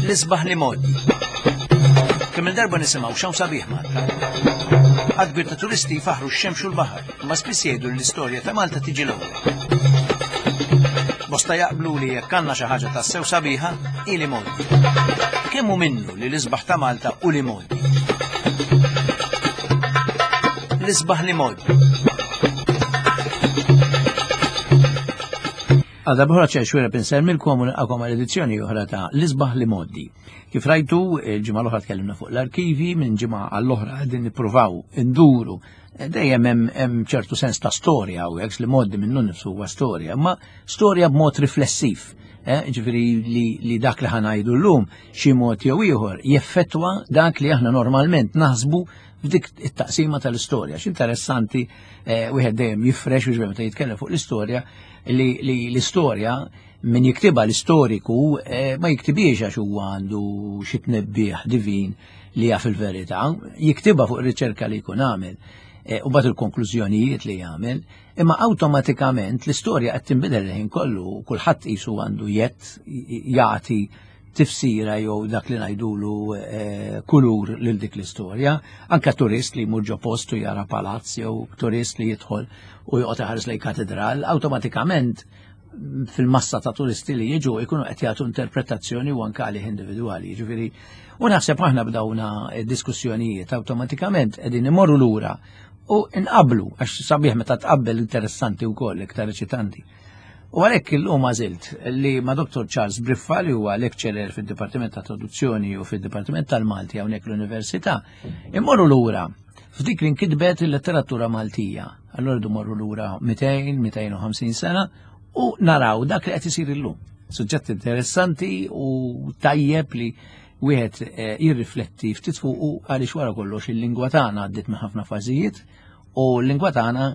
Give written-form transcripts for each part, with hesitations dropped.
L-isbaħ li mod. Kemm il-darba nisimgħu x'hawn sabiħ Malta. Għad kbir ta' turisti jfaħru x-xemx u l-baħar, imma spiss jgħidu li l-istorja ta' Malta tiġi l-ewwel. Bosta jaqblu li jekk għandna xi ħaġa tassew sabiħa, hi li mod. Kemm hu minnu li l-isbaħ ta' Malta u li mod. L-isbaħ li mod. Għal darba ċer xwira pinsermilkom u nilqakom għal edizzjoni oħra ta' l-isbaħ li moddi. Kif rajtu, il-ġimgħa l-oħra tkellimna fuq l-arkivi, minn ġimgħa għall-oħra qegħdin nippruvaw induru dejjem hemm ċertu sens ta' storja hawnhekk li moddi minnu nifsu huwa storja, imma storja b'mod riflessiv. Eh, ġifieri li, li dak li ħanajdu llum xi mod jew ieħor jeffettwa dak li aħna normalment naħsbu f'dik it-taqsima tal-istorja. X'interessanti eh, wieħed dejjem jifrex u meta jitkellem fuq l-istorja li l-istorja min jiktiba l-istoriku eh, ma jiktibiex għax huwa għandu xi tnebbieħ divin li jaf il-verità, jiktiba fuq ir-riċerka li jkun għamel eh, u bat il-konklużjonijiet li jagħmel, imma awtomatikament l-istorja qed tinbidel il-ħin kollu, kulħadd qisu għandu jett jagħti tifsira jew dak li ngħidulu eh, kulur lil dik l-istorja. Anka turist li jmur ġo post u jara palazz jew turist li jidħol u joqgħod iħares lejn katedral, awtomatikament fil-massa ta' turisti li jiġu jkunu qed jagħtu interpretazzjoni u anke għalih individwali. Jiġifieri, u naħseb aħna b'dawna diskussjonijiet awtomatikament qegħdin imorru lura u nqablu għax sabiħ meta tqabbel interessanti wkoll iktar eċitanti. U għalhekk illum għażilt li ma' Dr. Charles Briffa li huwa lecturer fid-Dipartiment ta' Traduzzjoni u fid-Dipartiment tal-Malti hawnhekk l-Università, immorru lura f'dik li nkitbet il-letteratura Maltija. Allora rridu morru lura 200, 250 sena u naraw dak li qed isir illum. Suġġett interessanti u tajjeb li wieħed eh, jirrifletti ftit fuqu għaliex wara kollox il-lingwa tagħna għaddiet minn ħafna fażijiet u l-lingwa tagħna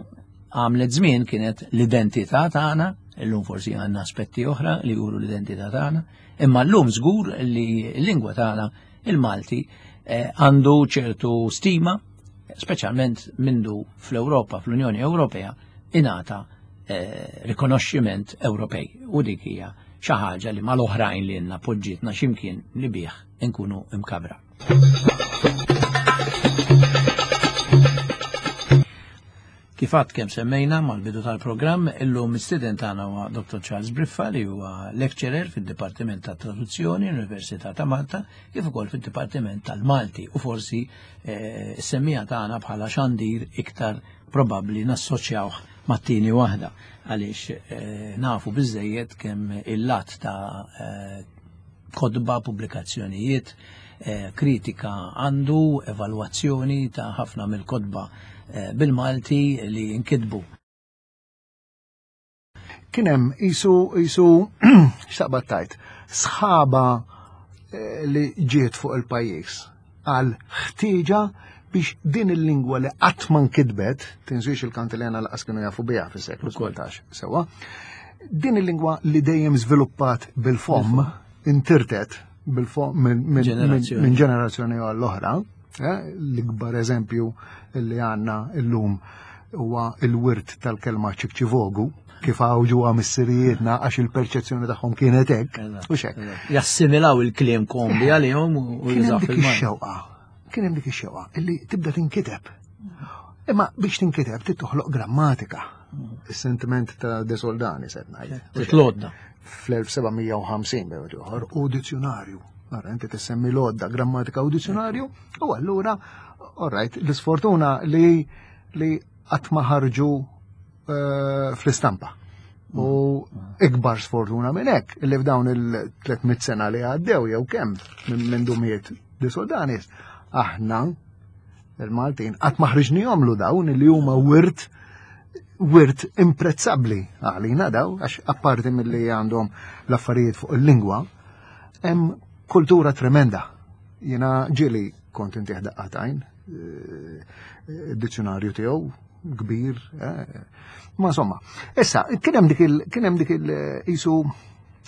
għamlet żmien kienet l-identità tagħna, illum forsi għandna aspetti oħra li juru l-identità tagħna, imma llum żgur li l-lingwa tagħna il-Malti eh, għandu ċertu stima, speċjalment mindu fl-Ewropa, fl-Unjoni Ewropea, ingħata eh, rikonoxximent Ewropej. U dik hija xi ħaġa li mal-oħrajn li għandna poġġietna x'imkien li bih inkunu imkabra. Kif għad kemm semmejna mal-bidu tal-programm, illum mistieden tagħna huwa Dr. Charles Briffa li huwa lecturer fid-Dipartiment ta' Traduzzjoni l-Università ta' Malta kif ukoll fid-Dipartiment tal-Malti u forsi eh, semmija tagħna bħala xandir iktar probabbli nassoċjawh mat-tieni waħda għaliex eh, nafu biżejjed kemm il-lat ta' eh, kotba, pubblikazzjonijiet, eh, kritika għandu, evalwazzjoni ta' ħafna mill-kotba eh, bil-Malti li nkitbu. Kien hemm isu isu x'taqbad tajt, sħaba eh, li ġiet fuq il-pajjiż għal ħtieġa biex din il-lingwa li qatt ma nkitbet, tinsiex il-kantilena laqas kienu jafu biha fis-seklu 17, sewwa, din il-lingwa li dejjem żviluppat bil-fomm, intirtet bil-fomm minn ġenerazzjoni għall-oħra, eh, l-ikbar eżempju li għandna illum huwa il-wirt tal-kelma ċikċivogu, kif għawġu missirijietna għax il-perċezzjoni tagħhom kienet hekk. U xek. Jassimilaw il-kliem kombi għalihom u jużaw dik ix-xewqa. Kien hemm dik ix-xewqa illi tibda tinkiteb. Imma biex tinkiteb trid toħloq grammatika. Is-sentiment ta' De Soldani se ngħid. Titlodda. Fl-1750 bejn ieħor u dizzjonarju. Ara inti tissemmi l-għodda grammatika u dizzjonarju u allura all right, l-isfortuna li li qatt ma ħarġu eh, fl-istampa. U ikbar sfortuna minn hekk li f'dawn il-300 sena li għaddew jew kemm minn dumiet di Soldanis, aħna il-Maltin qatt ma ħriġnihomlu dawn li huma wirt wirt imprezzabbli għalina daw għax apparti milli għandhom l-affarijiet fuq il-lingwa hemm kultura tremenda. Jiena ġieli kont intih daqqatajn, eh, dizzjonarju tiegħu kbir. Eh. Ma insomma, issa kien hemm dik il kien hemm dik il isu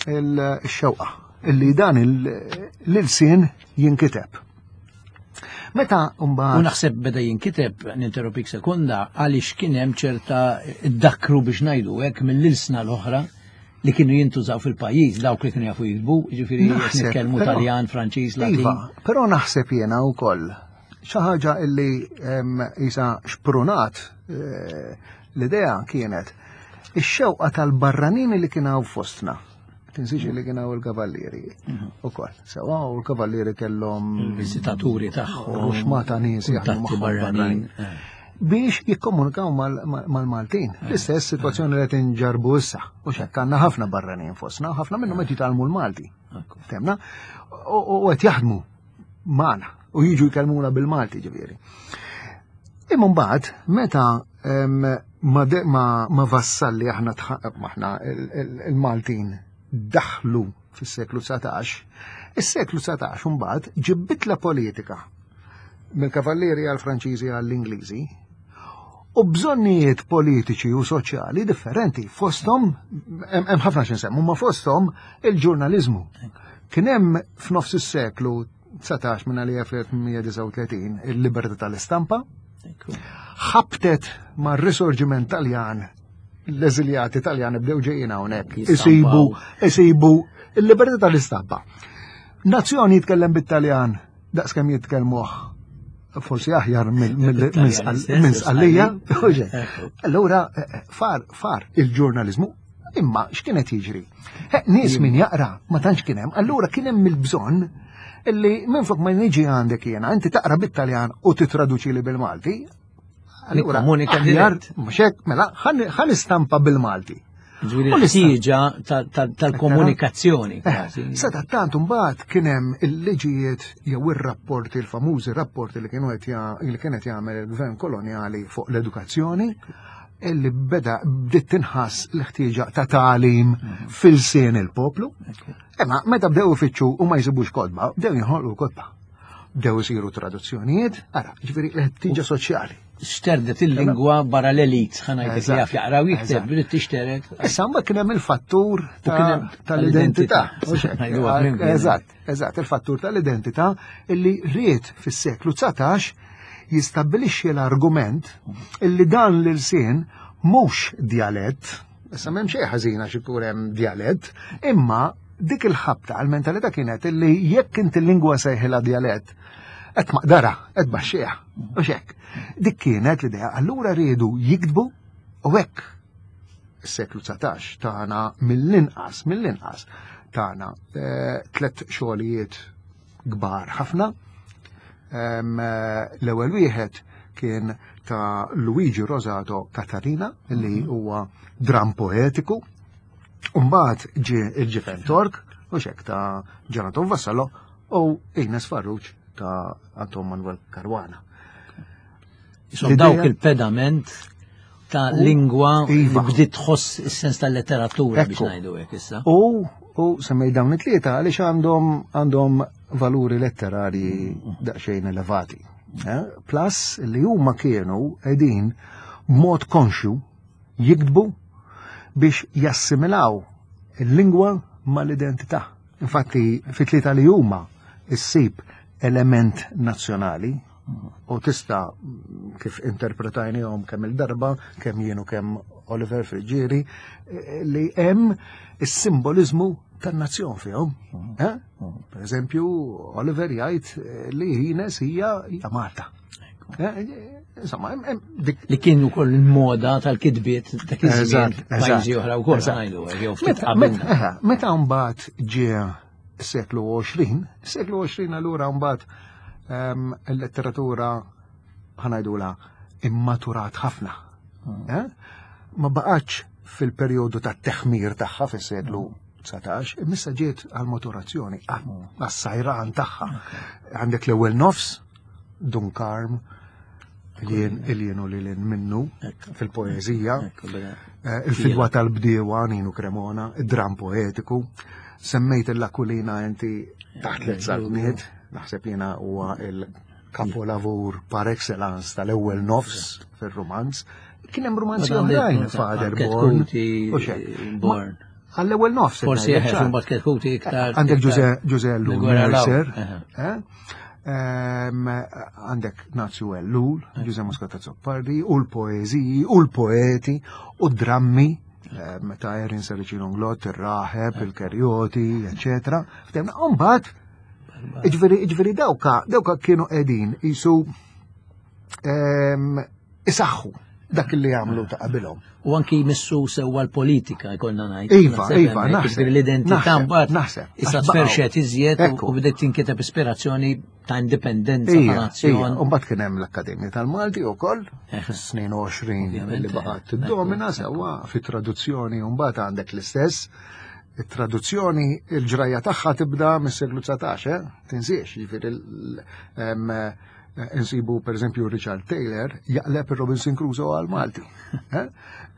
il-xewqa illi dan l-ilsien jinkiteb. Meta mbagħad. U naħseb beda jinkiteb, ninterrompik sekonda, għaliex kien hemm ċerta dakru biex ngħidu hekk mill-ilsna l-oħra. li kienu jintużaw fil-pajjiż dawk li kienu jafu jiktbu, jiġifieri nitkellmu Taljan, Franċiż, Latin. Iva, però naħseb jiena wkoll xi ħaġa illi isa xprunat eh, l-idea kienet ix-xewqa tal-barranin li kien hawn fostna. Tinsiex li kien hawn il-kavallieri mhm. ukoll. Sewa u l-kavallieri kellhom il-viżitaturi tagħhom. Ruxmata nies jaħdmu barranin. Eh. Biex jikkomunikaw mal-Maltin. Eh. L-istess situazzjoni li qed inġarbu issa. U xekk għandna ħafna barranin fostna, ħafna minnhom qed jitgħallmu l-Malti. Temna? U qed jaħdmu magħna u jiġu jkellmuna bil-Malti ġifieri. Imma mbagħad meta ma vassalli aħna aħna il-Maltin daħlu fis-seklu 19, is-seklu 19 mbagħad ġibbitla politika mill-kavallieri għall-Franċiżi għall-Ingliżi u bżonnijiet politiċi u soċjali differenti fosthom hemm ħafna x'insemmu ma fosthom il-ġurnaliżmu. Kien hemm f'nofs is-seklu 19 minn għalija fl-1839 il-libertà tal-istampa, ħabtet ma' risorġiment Taljan l-eżiljati Taljani bdew ġejjin hawnhekk isibu isibu il-libertà tal-istampa. Nazzjoni jitkellem bit-Taljan daqskemm jitkellmuh forsi aħjar minn sqallija. Allura eh, eh, far far il-ġurnalizmu imma x'kienet jiġri? Eh, nies min jaqra ma tantx kien hemm, allura kien hemm il-bżonn illi minn flok ma niġi għandek jiena, inti taqra bit-Taljan u titraduċi li bil-Malti. Allura, komunika dirett. Mhux hekk, mela, ħan istampa bil-Malti. Ġifieri l-ħtieġa tal-komunikazzjoni. Eh, Seta tant mbagħad kien hemm il-liġijiet jew ir-rapporti, il-famużi rapporti li kienu qed li kienet jagħmel il-gvern kolonjali fuq l-edukazzjoni illi beda bdiet tinħass l-ħtieġa ta' tagħlim mhm. fil-sien il-poplu. Imma meta bdew ifittxu u ma jsibux kodba, bdew jinħolqu kodba. Bdew isiru traduzzjonijiet, ara, ġifieri l-ħtieġa soċjali. Xterdet il-lingwa barra l-elit, ħanajt li jaf jaqra u jikteb, bdiet tixteret. Issa mbagħad kien hemm il-fattur tal-identità. Eżatt, eżatt, il-fattur tal-identità illi ried fis-seklu 19 jistabbilixxi l-argument illi dan l-ilsien mhux djalett, issa m'hemm xejn ħażin għax ikun hemm djalett, imma dik il-ħabta għal-mentalità kienet illi jekk inti l-lingwa sejħilha djalett, qed maqdara, qed baxxieha, u xek. Dik kienet l-idea, allura riedu jiktbu u hekk is-seklu 19 tagħna mill-inqas, mill-inqas tagħna eh, tlet xogħlijiet kbar ħafna. Eh, l-ewwel wieħed kien ta' Luigi Rosato Catarina li mhm. huwa dram poetiku. Umbagħad ġie il-ġifen Tork u xek ta' Jonathan Vassallo u Ines Farrugia ta' Anton Manuel Caruana. Isom dawk il-pedament ta' lingwa li iva. bdiet tħoss is-sens tal-letteratura biex ngħidu hekk issa. U u semmej dawn it-tlieta għaliex għandhom għandhom valuri letterarji mm. daqsxejn elevati. Eh? Plus li huma kienu qegħdin b'mod konxju jiktbu biex jassimilaw il-lingwa mal-identità. Infatti, fit-tlieta li huma issib element nazzjonali u tista' kif interpretajnihom kemm il-darba, kemm jien u kemm Oliver Friggieri, eh, li hemm is-simbolizmu tan-nazzjon fihom. Eh? Per eżempju, Oliver jgħid eh, li Ines hija hija Malta. Insomma, dik li kien ukoll il-moda tal-kitbiet dak iż-żmien pajjiżi oħra wkoll ngħidu jew ftit qabel. Meta mbagħad ġie seklu 20, seklu 20 allura mbagħad ehm, il-letteratura ħanajdula immaturat ħafna. Hmm. Eh? Ma baqgħetx fil-perjodu ta' teħmir tagħha fis-seklu 19, imissa ġiet għal-maturazzjoni, għas-sajran tagħha. Għandek l-ewwel nofs, Dun Karm, il-jien u lilin minnu fil-poezija, eh, il-fidwa tal-bdiewa Ninu Cremona, id-dram poetiku, semmejt il-Lakulina inti taħt l saltniet, naħseb jiena huwa il-kapolavur par excellence tal-ewwel nofs fir-rumanz. Kien hemm rumanzi oħrajn, Father Born. Born. Għall-ewwel nofs. Forsi eħe, mbagħad Ketkuti iktar. Għandek Ġuże Ellul Mercer, eh? Għandek Nazju Ellul, Ġuże Muscat Azzopardi, u l-poeziji, u l-poeti, u drammi. Meta Erin Sericino Nglott, ir-Raħeb, il-Kerjoti, eccetera. Ftemna, mbagħad Iġveri, dawka, dawka kienu qegħdin jisu isaħħu dak li għamlu ta' qabilhom. U anki jmissu sewwa l-politika jkollna ngħid. Iva, iva, naħseb. L-identità mbagħad naħseb. Issa tferxet iżjed u bdiet tinkiteb ispirazzjoni ta' indipendenza ta' nazzjon. U mbagħad kien hemm l-Akkademja tal-Malti wkoll fis-snin 20 li baqgħet tiddomina sewwa fit-traduzzjoni u mbagħad għandek l-istess. It-traduzzjoni il-ġrajja tagħha tibda mis-seklu 19, eh? Tinsiex, jiġifieri insibu per eżempju Richard Taylor jaqleb il-Robinson Crusoe għal Malti. Eh?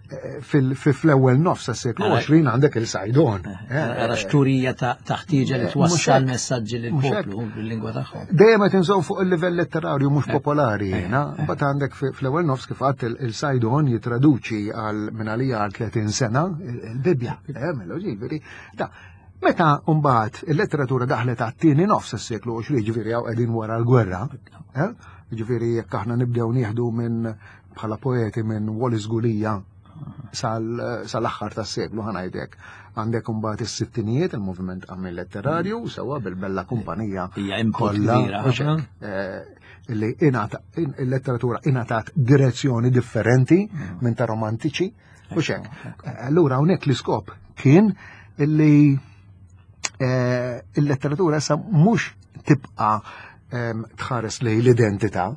Eh, fil-ewwel nofs tas-seklu 20 għandek il-Sajdon. Ara xturija ta' ħtieġa li twassal messaġġi lil poplu bil-lingwa tagħhom. Dejjem qed inżomm fuq il-livell letterarju mhux popolari jiena, mbagħad għandek fl-ewwel nofs kif għadt il-Sajdon jitraduċi għal minn għalija għal 30 sena il-Bibbja. Mela ġifieri, Meta mbagħad il-letteratura daħlet għat-tieni nofs is-seklu 20, ġifieri hawn qegħdin wara l-gwerra, eh? ġifieri jekk aħna nibdew nieħdu minn bħala poeti minn Wallis Gulija sal-aħħar tas-seklu ħanajdek. Għandek imbagħad is-sittinijiet, il-moviment għamil letterarju, sewwa bil-bella kumpanija kollha. Eh, li il-letteratura ingħatat direzzjoni differenti mm. minn ta' romantiċi. U xek. Allura hawnhekk l-iskop kien illi eh, il-letteratura issa mhux tibqa' ehm, tħares lej l-identità.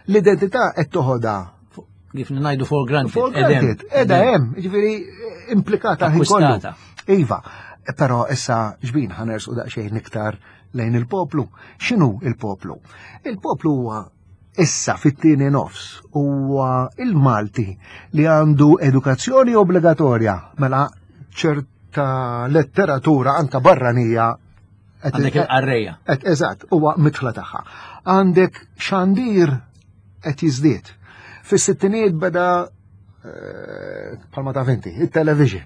L-identità qed toħodha kif ngħidu for granted. For granted, edha hemm, jiġifieri implikata ħin kollu. Iva, però issa ġbin ħanersu daqsxejn iktar lejn il-poplu. X'inhu il-poplu? Il-poplu huwa issa fit-tieni nofs huwa il-Malti li għandu edukazzjoni obbligatorja mela ċerta letteratura anka barranija Għandek il-qarrejja. Eżatt, huwa mitħla tagħha. Għandek xandir qed jiżdied. Fis-sittinijiet beda palma ta' vinti, il-television.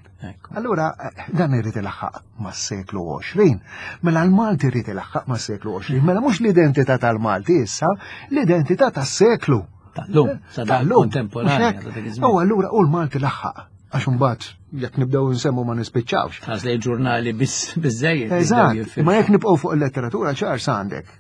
Allura, eh, dan irrid ilaħħaq mas-seklu 20. Mela l-Malti irrid ilaħħaq mas-seklu 20. Mela mhux l-identità tal-Malti issa, l-identità tas-seklu. Tal-lum, eh, tal-lum kontemporanja. U allura u l-Malti laħħaq. Għax imbagħad jekk nibdew nsemmu ma nispiċċawx. Għaż li ġurnali biżejjed. Eżatt, ma jekk nibqgħu fuq il-letteratura ċar għandek.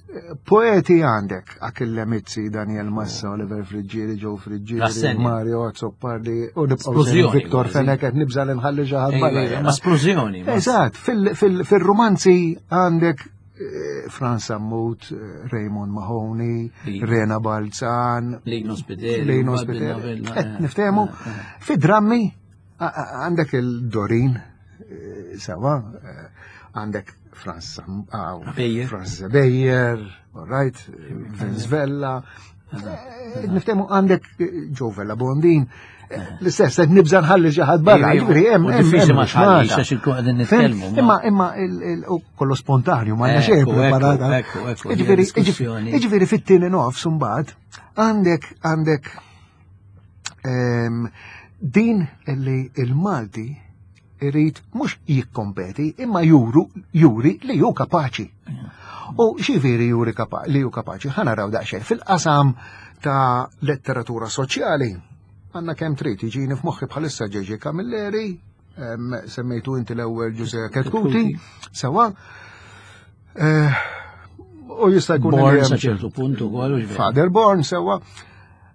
Poeti għandek, Achille Mizzi, Daniel Massa, Oliver Friggieri, Joe Friggieri, Mario Azzopardi, u nibqgħu Victor Fenech qed nibża' li nħalli xi ħadd barra. Ma splużjoni. Eżatt, fil-romanzi għandek eh, Franz Sammut, eh, Raymond Mahoney, Rena Balzan, Lino Spiteri, Lino Spiteri. Eh, niftehmu, fi drammi għandek il-Dorin, sawa, għandek Franz Franz Beyer, all right, Vince Vella, niftehmu għandek Joe Vella Bondin, l-istess, qed nibża nħalli xi ħadd barra, ġifieri hemm diffiċli ma tħallix għax ikun qegħdin nitkellmu. Imma imma kollu spontanju, ma xejn preparata. Ġifieri fit-tieni nofs imbagħad għandek għandek ehm, din li il-Malti irid mhux jikkompeti imma juru juri li hu kapaċi. U xiviri juri li hu kapaċi, ħa naraw daqsxejn fil-qasam ta' letteratura soċjali. Għanna kemm trid jiġini f'moħħi bħalissa Ġeġi Camilleri, semmejtu inti l-ewwel Ġuże Ketkuti, sewa. Eh, u jista' jkun Born sa ċertu punt ukoll. Father Born sewa.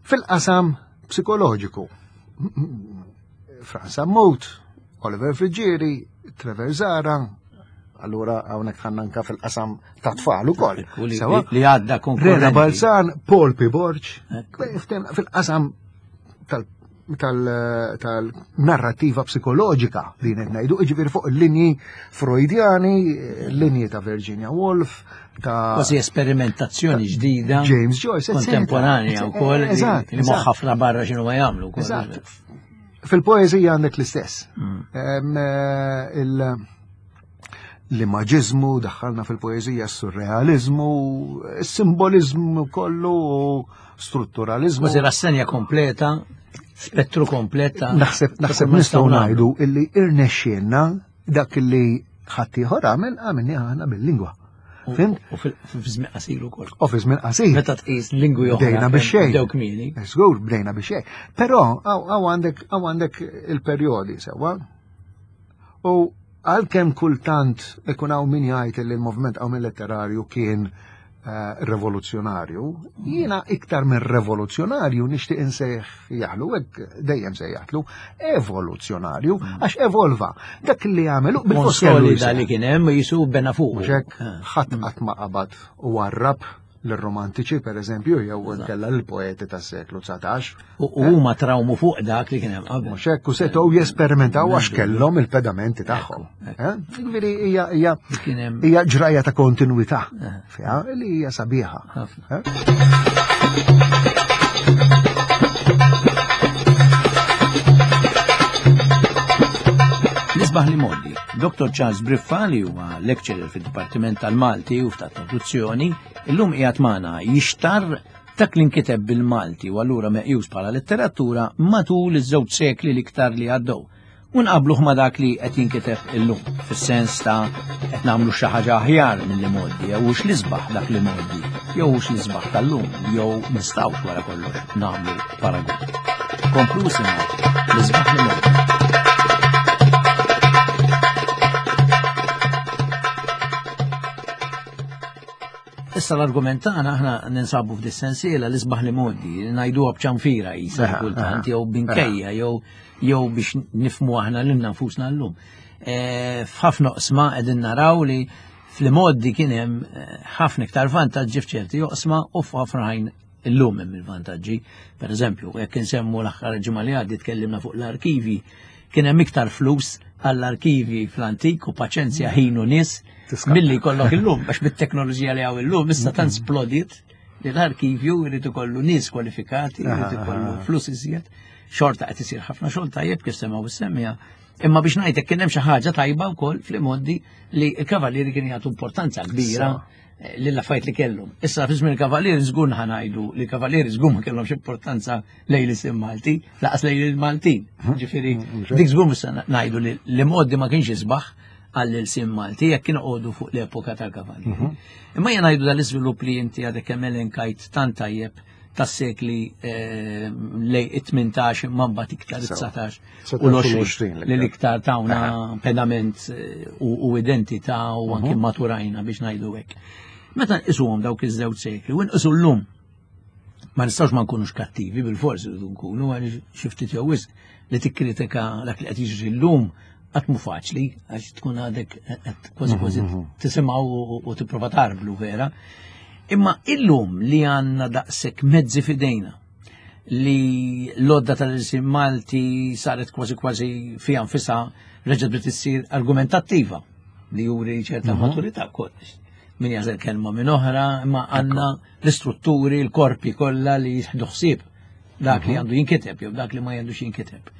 Fil-qasam psikoloġiku. Franz Sammut, Oliver Friggieri, Trevor Zara, allura hawnhekk ħanna anka fil-qasam ta' tfal ukoll. Li għadda konkurrenti. Rena Balzan, Paul P. Borg, fil-qasam tal-narrativa psikoloġika li qed ngħidu, jiġifieri fuq il-linji Freudjani, linji ta' Virginia Woolf, ta' Kważi esperimentazzjoni ġdida. James Joyce, kontemporanja wkoll. Eżatt. Li moħħ ħafna barra x'inhu ma jagħmlu. Eżatt. Fil-poeżija għandek l-istess. Mm. Eh, l-immaġiżmu daħħalna fil-poeżija s-surrealizmu, s-simbolizmu kollu, strutturalizmu. Kważi rassenja kompleta, spettru kompleta. Naħseb naħseb nistgħu ngħidu illi irnexxielna dak illi ħaddieħor għamel għamilni aħna bil-lingwa. Fhimt? U fi żmien qasir ukoll. U fi żmien qasir. Meta tqis lingwi oħra. Bdejna biex xejn. Bdew kmieni. Żgur bdejna biex xejn. Però hawn għandek il-perjodi sewwa. U għalkemm kultant ikun hawn min jgħid li l-moviment hawn letterarju kien eh, revoluzzjonarju, jiena iktar minn revoluzzjonarju nixtieq insejħ jaħlu, hekk dejjem sejjaħtlu, evoluzzjonarju, mm. għax evolva. Dak li għamelu bil-konsolida li kien hemm jisu bena fuq. Mhux hekk ah. ħadd qatt ma qabad u warrab l-romantiċi per eżempju, jew kella l-poeti tas-seklu 19. U huma trawmu fuq dak li kien hemm qabel. Mhux hekk u setgħu jesperimentaw għax kellhom il-pedamenti tagħhom. Eh? Ġifieri hija hija hija ġrajja ta' kontinwità eh. fiha li hija sabiħa. Eh? Nisbaħ li moddi. Dr. Charles Briffa li huwa lecturer fid-Dipartiment tal-Malti u ta' Traduzzjoni, illum qiegħed magħna jixtar dak li nkiteb bil-Malti u allura meqjus bħala letteratura matul iż-żewġ sekli l-iktar li għaddew. U nqabluh ma' dak li qed jinkiteb illum, fis-sens ta' qed nagħmlu xi ħaġa aħjar mill-li mgħoddi, jew hux l-isbaħ dak li mgħoddi, jew hux l-isbaħ tal-lum, jew nistgħux wara kollox nagħmlu paragun. Komplu isimgħu l-isbaħ li mgħoddi. Issa l-argument tagħna aħna ninsabu f'dis-sensiela l-isbaħ li mgħoddi, li ngħiduha b'ċanfira qisha kultant jew binkejja jew jew biex nifmu aħna lilna nfusna llum. E, f'ħafna oqsma qegħdin naraw li fl-imoddi kien hemm eh, ħafna iktar vantaġġi f'ċerti oqsma u f'ħafna ħajn illum hemm il-vantaġġi. Per eżempju, jekk insemmu l-aħħar ġimgħa li għaddi tkellimna fuq l-arkivi, kien hemm iktar flus għall-arkivi fl-antik u paċenzja ħin u nies milli jkollok illum għax bit-teknoloġija li hawn illum issa tant splodiet li l-arkivju jrid ikollu nies kwalifikati, jrid ikollu flus iżjed, xorta qed isir ħafna xogħol tajjeb kif semgħu semmija. Imma biex ngħidlek kien hemm xi ħaġa tajba wkoll fl-imoddi li l-kavallieri kienu jagħtu importanza kbira eh, lill-affarijiet li kellhom. Issa fi żmien il-kavallieri żgur ħanajdu li l-kavallieri żgur ma kellhomx importanza lejn l-isim Malti, laqas lejn il-Maltin. Ġifieri dik żgur mhux ngħidu li l-imoddi ma kienx isbaħ għall-ilsim Malti jekk kien għodu fuq l-epoka tal-kavallieri. Mhm. Imma jien ngħidu dal-iżvilupp li inti għadek kemm elenkajt tant tajjeb tas-sekli eh, lej it-18 imma mbagħad iktar it-19 u l-20 li l-iktar tawna pedament eh, u identità u anki mhm. maturajna biex ngħidu hekk. Meta nqisuhom dawk iż-żewġ sekli u nqisu llum ma nistgħux ma nkunux kattivi bil-fors irridu nkunu għaliex xi ftit jew wisq li tikkritika dak li qed jiġri llum qatt mhu faċli għax tkun għadek qed kważi kważi mhm, mhm. tisimgħu u tipprova tarblu vera. Imma illum li għandna daqshekk mezzi fidejna li l-odda tal-ilsim Malti saret kważi kważi fija nfisha reġgħet bdiet issir argumentattiva li juri ċerta mhm. maturità kollox. Min jażel kelma minn oħra, imma għandna l-istrutturi, l-korpi kollha li jieħdu ħsieb dak li mhm. għandu jinkiteb jew dak li ma għandux jinkiteb.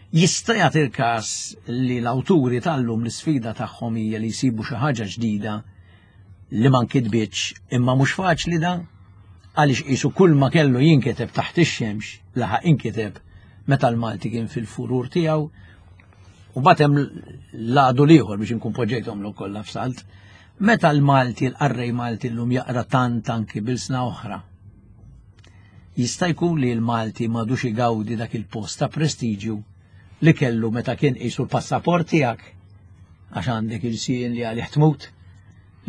Jista' jagħti l-każ li l-awturi tal-lum l-isfida tagħhom hija li jsibu xi ħaġa ġdida li ma nkitbitx imma mhux faċli da għaliex qisu kull ma kellu jinkiteb taħt ix-xemx laħaq inkiteb meta l-Malti kien fil-furur tiegħu u batem l-għadu liħor biex inkun poġġejthom l kollha f'salt. Meta l-Malti, l-qarrej Malti llum jaqra tant anki bilsna oħra, jista' jkun li l-Malti m'għadux igawdi dak il-post ta' prestiġju li kellu meta kien qisu l-passaport tiegħek għax għandek il-sien li għalih tmut,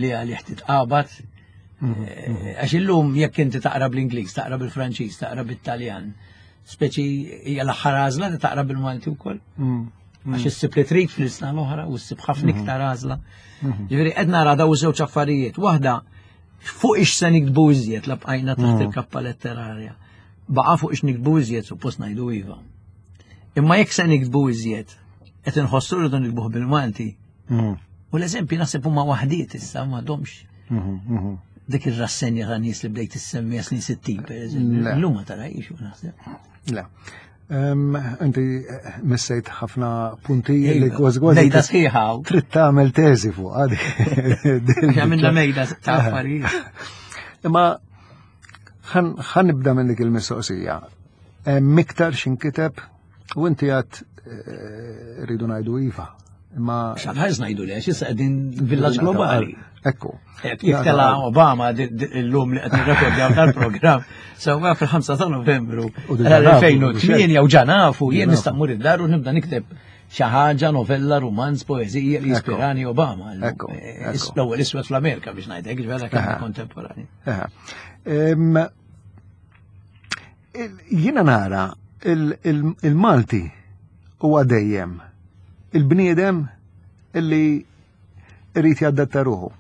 li għalih titqabad. Mhm, eh, mhm. Għax illum jekk inti taqra bl-Ingliż, taqra bil-Franċiż, taqra bit-Taljan, speċi hija l-aħħar għażla li taqra bil-Malti wkoll. Mm. Għax mm. issib li trid fl-isna l-oħra u ssib ħafna mm-hmm. iktar għażla. Mm-hmm. Ġifieri qed nara daw żewġ affarijiet. Waħda fuq ix se nikdbu iżjed la bqajna taħt mm. il-kappa letterarja. Baqa' fuq ix nikdbu iżjed suppost ngħidu iva. Imma jekk se nikdbu iżjed, qed inħossu rridu nikbuh bil-Malti. Mm. U l-eżempji naħseb huma waħdiet issa m'għadhomx. Mm-hmm, Dik ir-rassenja ta' nies li bdejt issemmi snin 60 per eżempju. Illum ma tarajx naħseb. Le. Inti eh, missejt ħafna punti li kważi kważi. Mejda sħiħa. Trid tagħmel teżi fuq għadi. Għamilna mejda ta' affarijiet. Imma ħan nibda minn dik il-mistoqsija. Miktar xinkiteb u inti għad eh, rridu ngħidu iva. Imma. Xaħħaż ngħidu le, x'issa qegħdin villaġġ globali. Ekku. Jekk tela Obama l-lum li qed nirrekordjaw tal-programm, sewwa fil-5 ta' Novembru 2008 u ġanafu jien nista' mmur id-dar u nibda nikteb xi ħaġa novella, romanz, poeżija li jispirani Obama. Eh, l-ewwel iswed fl-Amerika biex ngħidlek, ġifieri kemm kontemporani. Jiena nara il-Malti huwa dejjem il-bniedem illi irid jaddatta ruħu.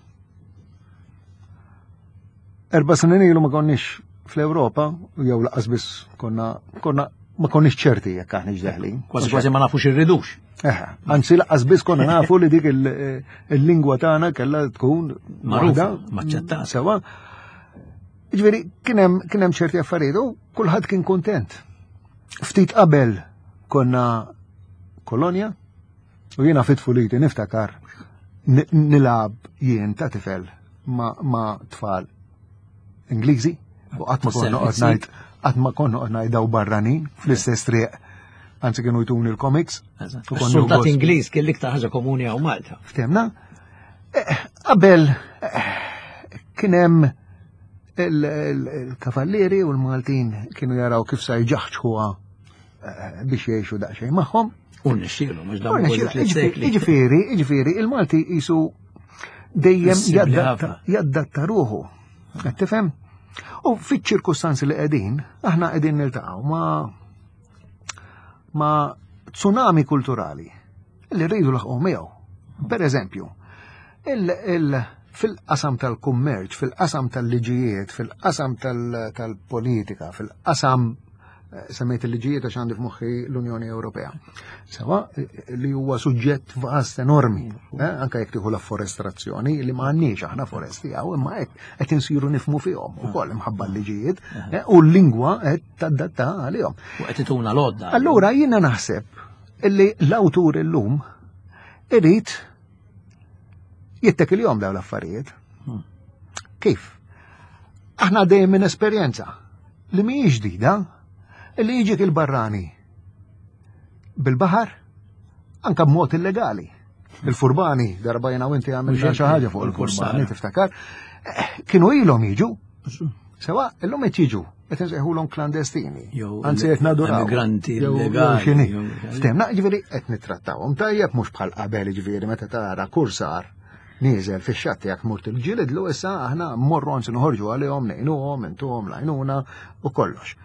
Erba' snin ilu ma konniex fl-Ewropa, jew laqas biss konna konna ma konniex ċerti jekk aħniex deħlin. Kważi kważi ma nafux irridux. Eħe, anzi laqas biss konna nafu li dik il-lingwa tagħna kellha tkun magħrufa, maċċettata. Sewa. Ġifieri kien hemm ċerti affarijiet u kulħadd kien kuntent. Ftit qabel konna kolonja, U jiena fit-tfuliti niftakar nilgħab jien ta' tifel ma' tfal Ingliżi u qatt ma konna noqgħod ngħid qatt ma konna noqgħod ngħid daw barranin fl-istess triq. Anzi kienu jtuni l-comics. Soldat Ingliż kien l-iktar ħaġa komuni hawn Malta. Ftemna? Eh, qabel eh, kien hemm il-kavallieri u l-Maltin kienu jaraw kif sa jġaħġħuha eh, biex jgħixu daqsxejn magħhom. U nixxielu, mhux dawn kważi Jiġifieri, jiġifieri, il-Malti jisu dejjem jaddatta ruħu. Qed tifhem? U fiċ-ċirkustanzi li qegħdin, aħna qegħdin niltaqgħu ma' ma' tsunami kulturali li rridu laħqu miegħu. Per eżempju, fil-qasam tal-kummerċ, fil-qasam tal-liġijiet, fil-qasam tal-politika, fil-qasam eh, semmejt il-liġijiet għax għandi f'moħħi l-Unjoni Ewropea. Sewa eh, li huwa suġġett vast enormi, eh, anke jekk tieħu l-afforestrazzjoni li ma għandniex aħna foresti hawn, imma hekk qed insiru nifmu fihom ukoll imħabba l-liġijiet u l-lingwa qed tadatta għalihom. U qed ituna l-għodda. Allura jiena naħseb illi l-awtur illum irid jittekilhom dawn l-affarijiet. Hmm. Kif? Aħna dejjem minn esperjenza li mhijiex ġdida li jiġik il-barrani bil-baħar anka b'mod illegali. Il-furbani, darba jena u inti għamilna xi ħaġa fuq il-furbani, tiftakar, eh, kienu ilhom jiġu. Sewa, illum qed jiġu, qed insejħulhom klandestini. Anzi qed naduraw. Migranti illegali. Ftemna, ġifieri qed nittrattawhom tajjeb mhux bħal qabel ġifieri meta tara kursar nieżel fix-xatt tiegħek mort il-ġilidlu issa aħna mmorru anzi noħorġu għalihom ngħinuhom, intuhom l-għajnuna u kollox.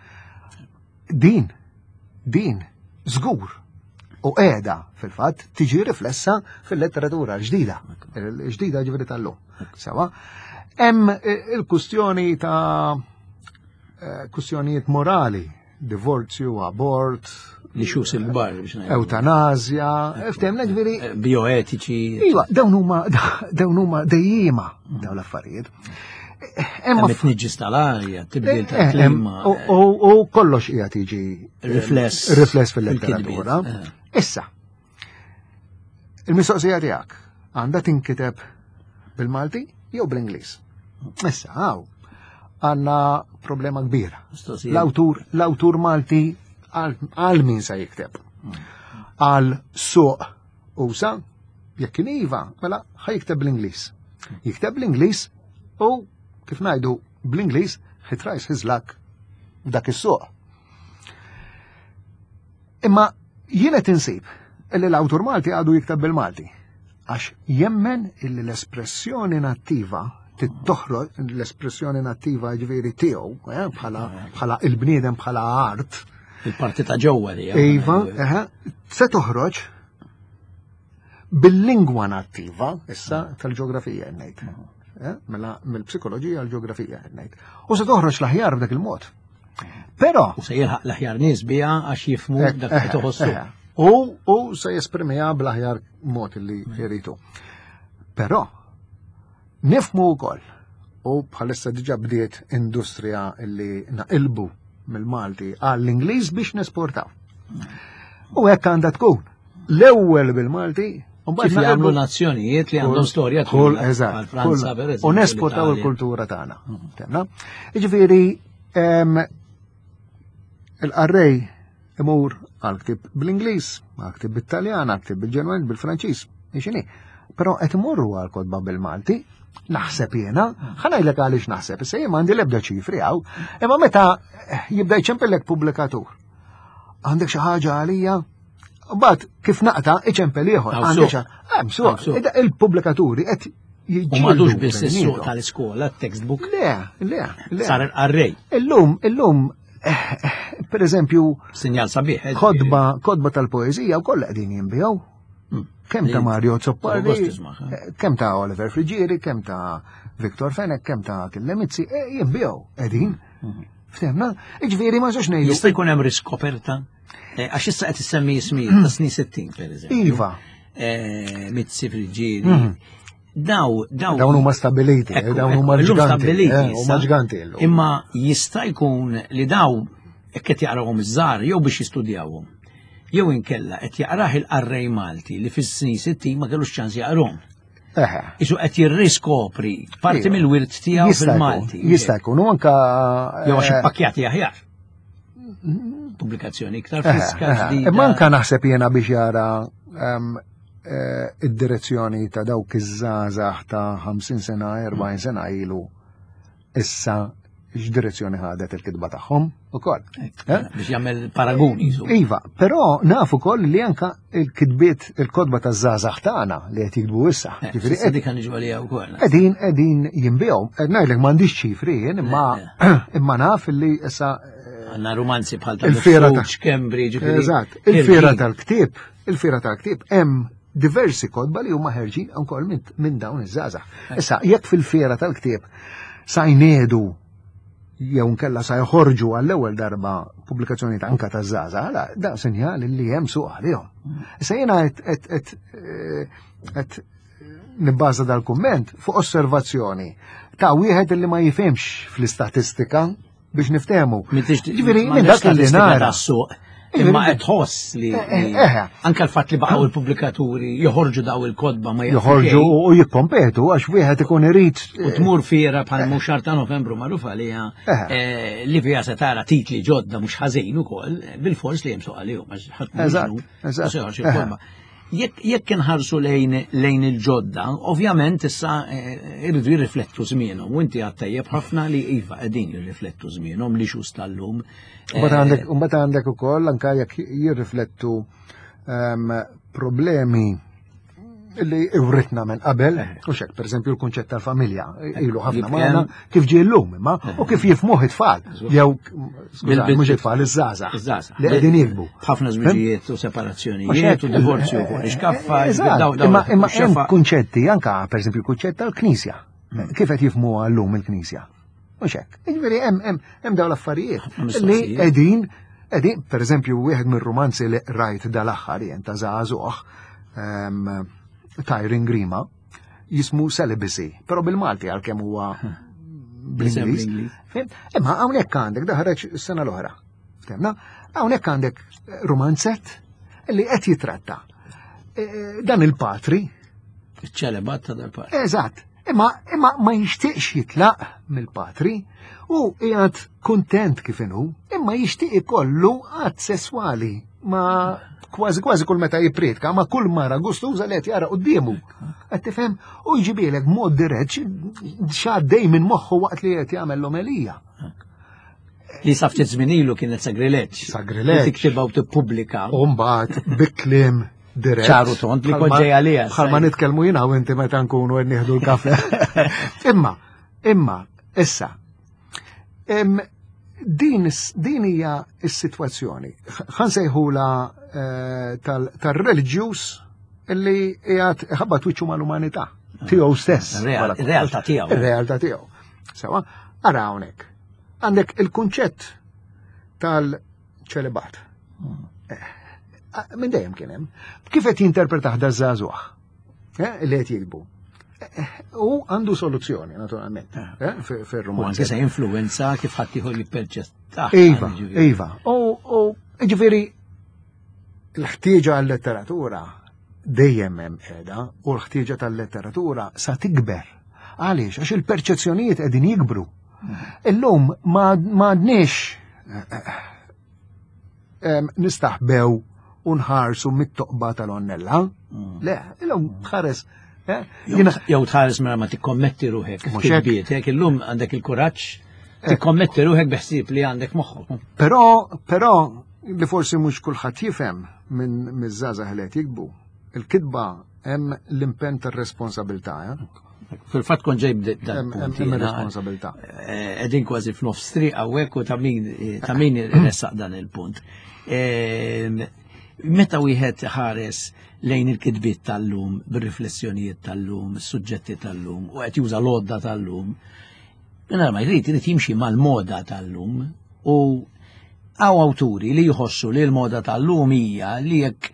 Din, din, żgur u qiegħda fil-fatt tiġi riflessa fil-letteratura ġdida, ġdida ġifieri tal-lum. Sewa, hemm eh, il-kustjoni ta' eh, kustjonijiet morali, divorzju, abort, li xus il-kbar biex ngħidu. Eutanazja, ftemna ġifieri. Eh, bioetiċi. Iva, dawn huma dawn huma dejjima dawn l-affarijiet. Hemm it-tniġġis tal-arja, tibdil eh, tal-klima. U kollox qiegħed jiġi rifless rifless fil-letteratura. Issa, il-mistoqsija tiegħek għandha tinkiteb bil-Malti jew bl-Ingliż. Issa, għaw, għanna problema kbira. L-awtur, l-awtur Malti għal min sa jikteb. Għal suq usa, jekk kien iva, mela ħa jikteb bl-Ingliż. Jikteb bl-Ingliż u kif ngħidu bl-Ingliż he tries his luck f'dak is-suq. Imma jien qed insib illi l-awtur Malti għadu jikteb bil-Malti għax jemmen illi l-espressjoni nattiva tittoħroġ l-espressjoni nattiva ġifieri tiegħu eh, bħala bħala il-bniedem bħala art. Il-parti ta' ġewwa li. Iva, eh, se toħroġ bil-lingwa nattiva issa tal-ġeografija ngħid. Eh, mela mill-psikoloġija l-ġeografija ngħid. U se toħroġ l-aħjar b'dak il-mod. Però. U se jilħaq l-aħjar nies biha għax jifmu eh, dak li eh, toħossu. Eh, u u se jesprimiha bl-aħjar mod li jridu. Però nifmu wkoll u bħalissa diġà bdiet industrija li naqilbu mill-Malti għall-Ingliż biex nesportaw. U hekk għandha tkun. L-ewwel bil-Malti, Kif jagħmlu nazzjonijiet li għandhom storja kull eżatt. Franza per U nesportaw il-kultura tagħna. Mhm. Jiġifieri il-qarrej imur għal ktib bl-Ingliż, għal ktib bit-Taljan, għal ktib bil-Ġerman, bil-Franċiż, x'inhi. Però qed imorru għal kotba bil-Malti, naħseb jiena, ħa ngħidlek għaliex naħseb, issa jien m'għandi l-ebda ċifri hawn, imma meta jibda jċempillek pubblikatur. Għandek xi ħaġa għalija? Mbagħad kif naqta iċempel ieħor. Għandek xi hemm suq. Il-pubblikaturi qed U madux biss is-suq tal-iskola, textbook. Le, le, le. Sar il-qarrej. Illum, illum, per eżempju. Sinjal sabiħ. Eh, kodba, kodba tal-poezija u kollha qegħdin jinbijaw. Kemm ta' Mario Zoppardi, eh, kemm ta' Oliver Frigieri, kemm ta' Victor Fenech, kemm ta' Killemizzi, eh, jinbijaw qegħdin. Ftemna? Iġveri ma xax ngħidu. Jista' jkun hemm riskoperta? Eh, għax issa qed issemmi ismijiet ta' snin 60 pereżempju. Iva. Mizzi Frigieri. Daw, daw. Dawn huma stabiliti, dawn huma ġganti. Huma ġganti Imma jista' jkun li daw hekk qed jaqrawhom iż-żgħar jew biex jistudjawhom. Jew inkella qed jaqrah il-qarrej Malti li fis-snin 60 ma kellux ċans jaqrahom. Isu qed jirriskopri parti iva. mill-wirt tiegħu fil-Malti. Jista' jkun u anka jew għax eh, ippakkjati aħjar. Pubblikazzjoni iktar friska ġdida. Imma anka naħseb jiena biex jara ehm, eh, id-direzzjoni ta' dawk iż-żgħażagħ ta' 50 sena, 40 sena ilu issa x'direzzjoni ħadet il-kitba tagħhom ukoll. Eh? Biex jagħmel paraguni. Iva, però naf ukoll li anka il-kitbiet il-kodba taż-żgħażagħ tagħna li qed jiktbu issa. Eh, Ġifieri dik niġu għalija wkoll. Qegħdin qegħdin jinbihom. Qed ngħidlek m'għandix ċifri jien imma imma naf li issa eh, għandna romanzi bħal ta' il-fiera ta' Cambridge. Eżatt, il-fiera tal-ktieb, il-fiera tal-ktieb hemm diversi kotba li huma ħerġin ukoll minn dawn iż-żgħażagħ. Issa, jekk fil-fiera tal-ktieb sa jniedu jew nkella sa joħorġu għall-ewwel darba pubblikazzjoni ta' anka ta' żgħażagħ, għala da sinjal li hemm suq għalihom. Issa jiena qed eh, nibbaża dal-kumment fuq osservazzjoni ta' wieħed li ma jifhimx fl-istatistika biex niftehmu. Ġifieri minn dak li nara. Imma qed tħoss li eh, eh, eh. anke l-fatt li baqgħu il-pubblikaturi joħorġu daw il-kodba ma joħorġu u jikkompetu għax wieħed ikun irid. U tmur fiera bħal mhux xahar ta' Novembru magħruf għaliha li fiha se tara titli ġodda mhux ħażin ukoll bil-fors li hemm suq għalihom għax ħadd Eżatt. Jekk inħarsu lejn lejn il-ġodda, ovvjament issa eh, irridu jirriflettu żmienhom u inti għad tajjeb ħafna li iva qegħdin jirriflettu żmienhom li xus tal-lum. Eh, mbagħad għandek ukoll anke jekk jirriflettu ehm, problemi li iwritna minn qabel, eh. u xek, per eżempju, l-kunċett tal-familja, ilu ħafna magħna, kif ġie llum imma, u kif jifmuh it-tfal, jew, mhux it-tfal, iż-żgħażagħ, li qegħdin jikbu. Ħafna żwiġijiet u separazzjonijiet u divorzju fuq ix-kaffa. Imma imma hemm kunċetti anka pereżempju l-kunċett tal-Knisja. Hmm. Kif qed jifhmuha llum il-Knisja? Mhux hekk. Jiġifieri hemm hemm hemm dawn l-affarijiet li qegħdin qegħdin pereżempju wieħed mir-rumanzi li rajt dal-aħħar jien ta' żagħżugħ ehm, Tyrin Grima jismu Celibacy, però bil-Malti għalkemm huwa bl-Ingliż. Imma hawnhekk għandek daħreġ is-sena l-oħra. Ftemna? Hawnhekk għandek romanzett li qed jitratta eh, dan il-patri. Iċ-ċelebat ta' dal-patri. Eżatt. Imma imma ma jixtieqx jitlaq mill-patri u qiegħed kuntent kif inhu, imma jixtieq ikollu att sesswali ma kważi kważi kull meta jippriedka ma kull mara gustuża li qed jara quddiemu. Qed tifhem u jġibilek mod dirett x'għaddej minn moħħu waqt li qed jagħmel l-omelija. Li sa ftit żmien ilu kienet sagrileġġ. Sagrileġġ. Tiktibha u tippubblika. U mbagħad bi kliem dirett. ċaru tont li kont ġej għalija. Bħalma nitkellmu jiena u inti meta nkunu qed nieħdu l-kafe. Imma, imma, issa, din din hija s-sitwazzjoni. Ħan sejħula eh, tal-reliġjuż illi qiegħed ħabbat wiċċu mal-umanità tiegħu stess. Ir-realtà tiegħu. Ir-realtà tiegħu. Sewa, ara hawnhekk. Għandek il-kunċett tal-ċelibat. Eh, minn dejjem kien hemm. Kif qed jinterpretaħ da żagħżugħ eh, li qed jilbu. Eh, u għandu soluzzjoni, naturalment, fir-romanz. U anke se influenza kif ħadd ieħor jipperċetta. Iva, iva. U ġifieri l-ħtieġa għal-letteratura dejjem hemm qiegħda u l-ħtieġa tal-letteratura sa tikber. Għaliex? Għax il-perċezzjonijiet qegħdin jikbru. Illum ma għadniex eh, eh, nistaħbew u nħarsu mit-toqba tal-onnella. Mm. Le, illum tħares Eh? Jew tħares mela ma tikkommetti ruħek. Mhux hekk illum għandek il-kuraġġ tikkommetti ruħek biħsieb li għandek moħħok. Però, però li forsi mhux kulħadd jifhem minn miż-żgħażagħ li qed jikbu. Il-kitba hemm l-impenn tar-responsabilità. Eh? Fil-fatt kon ġej dan punt. Hemm responsabilità. Eh, qegħdin kważi f'nofs triq hawnhekk u ta' min eh, ta' min iressaq dan il-punt. Ehm, meta wieħed ħares lejn il-kitbiet tal-lum, bir-riflessjonijiet tal-lum, is-suġġetti tal-lum, u qed juża l-għodda tal-lum, mingħajr ma jrid irid jimxi mal-moda tal-lum u għaw awturi li jħossu li l-moda tal-lum hija li jekk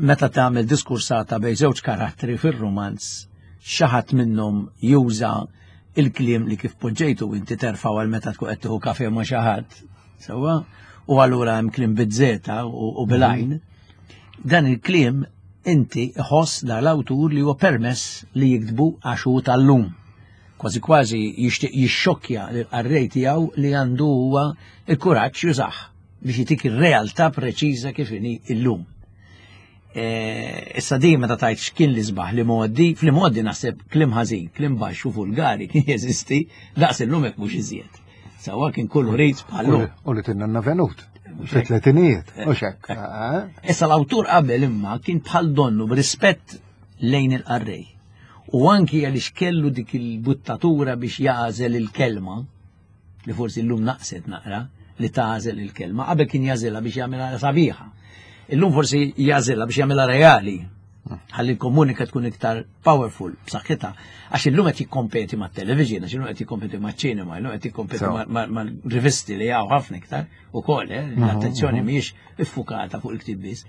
meta tagħmel diskursata bejn żewġ karattri fir-rumanz xi ħadd minnhom juża il-kliem li kif poġġejtu inti terfgħu għal meta tkun qed tieħu kafe ma' xi ħadd, sewwa, u allura hemm kliem biż-żeta u bil-għajn. Dan il-kliem inti ħoss dal-awtur li huwa permess li jiktbu għax hu tal-lum. Kważi kważi jixtieq jixxokkja lill-qarrej tiegħu li għandu huwa il-kuraġġ jużah biex jitik ir-realtà preċiża kif inhi illum. E, issa di meta tajt x'kien li sbaħ li modi, fli modi naħseb klim ħażin, klim baxx u vulgari kien jeżisti daqs illum hekk mhux iżjed. Sawa kien kullu rejt bħallu. U li tinna venut. Fit-tletinijiet, u xek. Eh, eh. Issa l-awtur qabel imma kien bħal donnu b'rispett lejn il-qarrej. U anki għaliex kellu dik il-buttatura biex jażel il-kelma, li forsi llum naqset naqra li tagħżel il-kelma, qabel kien jażilha biex jagħmilha sabiħa. Illum forsi jażilha biex jagħmilha reali. Ħalli l-komunika tkun iktar powerful, b'saħħitha. Għax illum qed jikkompeti mat-television, għax illum qed jikkompeti maċ-ċinema, illum qed jikkompeti mal-rivisti li hawn ħafna iktar ukoll, eh, l-attenzjoni mhijiex iffukata fuq il-ktib biss.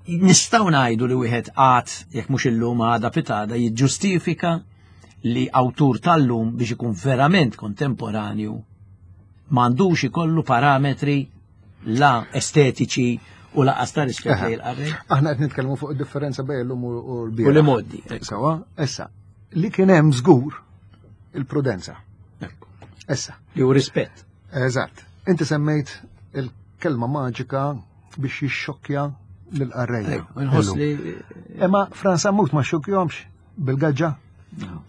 Nistgħu ngħidu li wieħed qatt jekk mhux illum għada pitada jiġġustifika li awtur tal-lum biex ikun verament kontemporanju m'għandux ikollu parametri la estetiċi u laqas ta' rispett lejn il-qarrej. Aħna qed nitkellmu fuq id-differenza bejn illum u l-bieraħ. U li moddi. Sawa, issa, li kien hemm żgur il-prudenza. Issa. Li hu rispett. Eżatt. Inti semmejt il-kelma maġika biex jixxokkja lill-qarrejja. Nħoss li. Imma Franz Sammut ma xxokkjomx. Bil-gaġġa?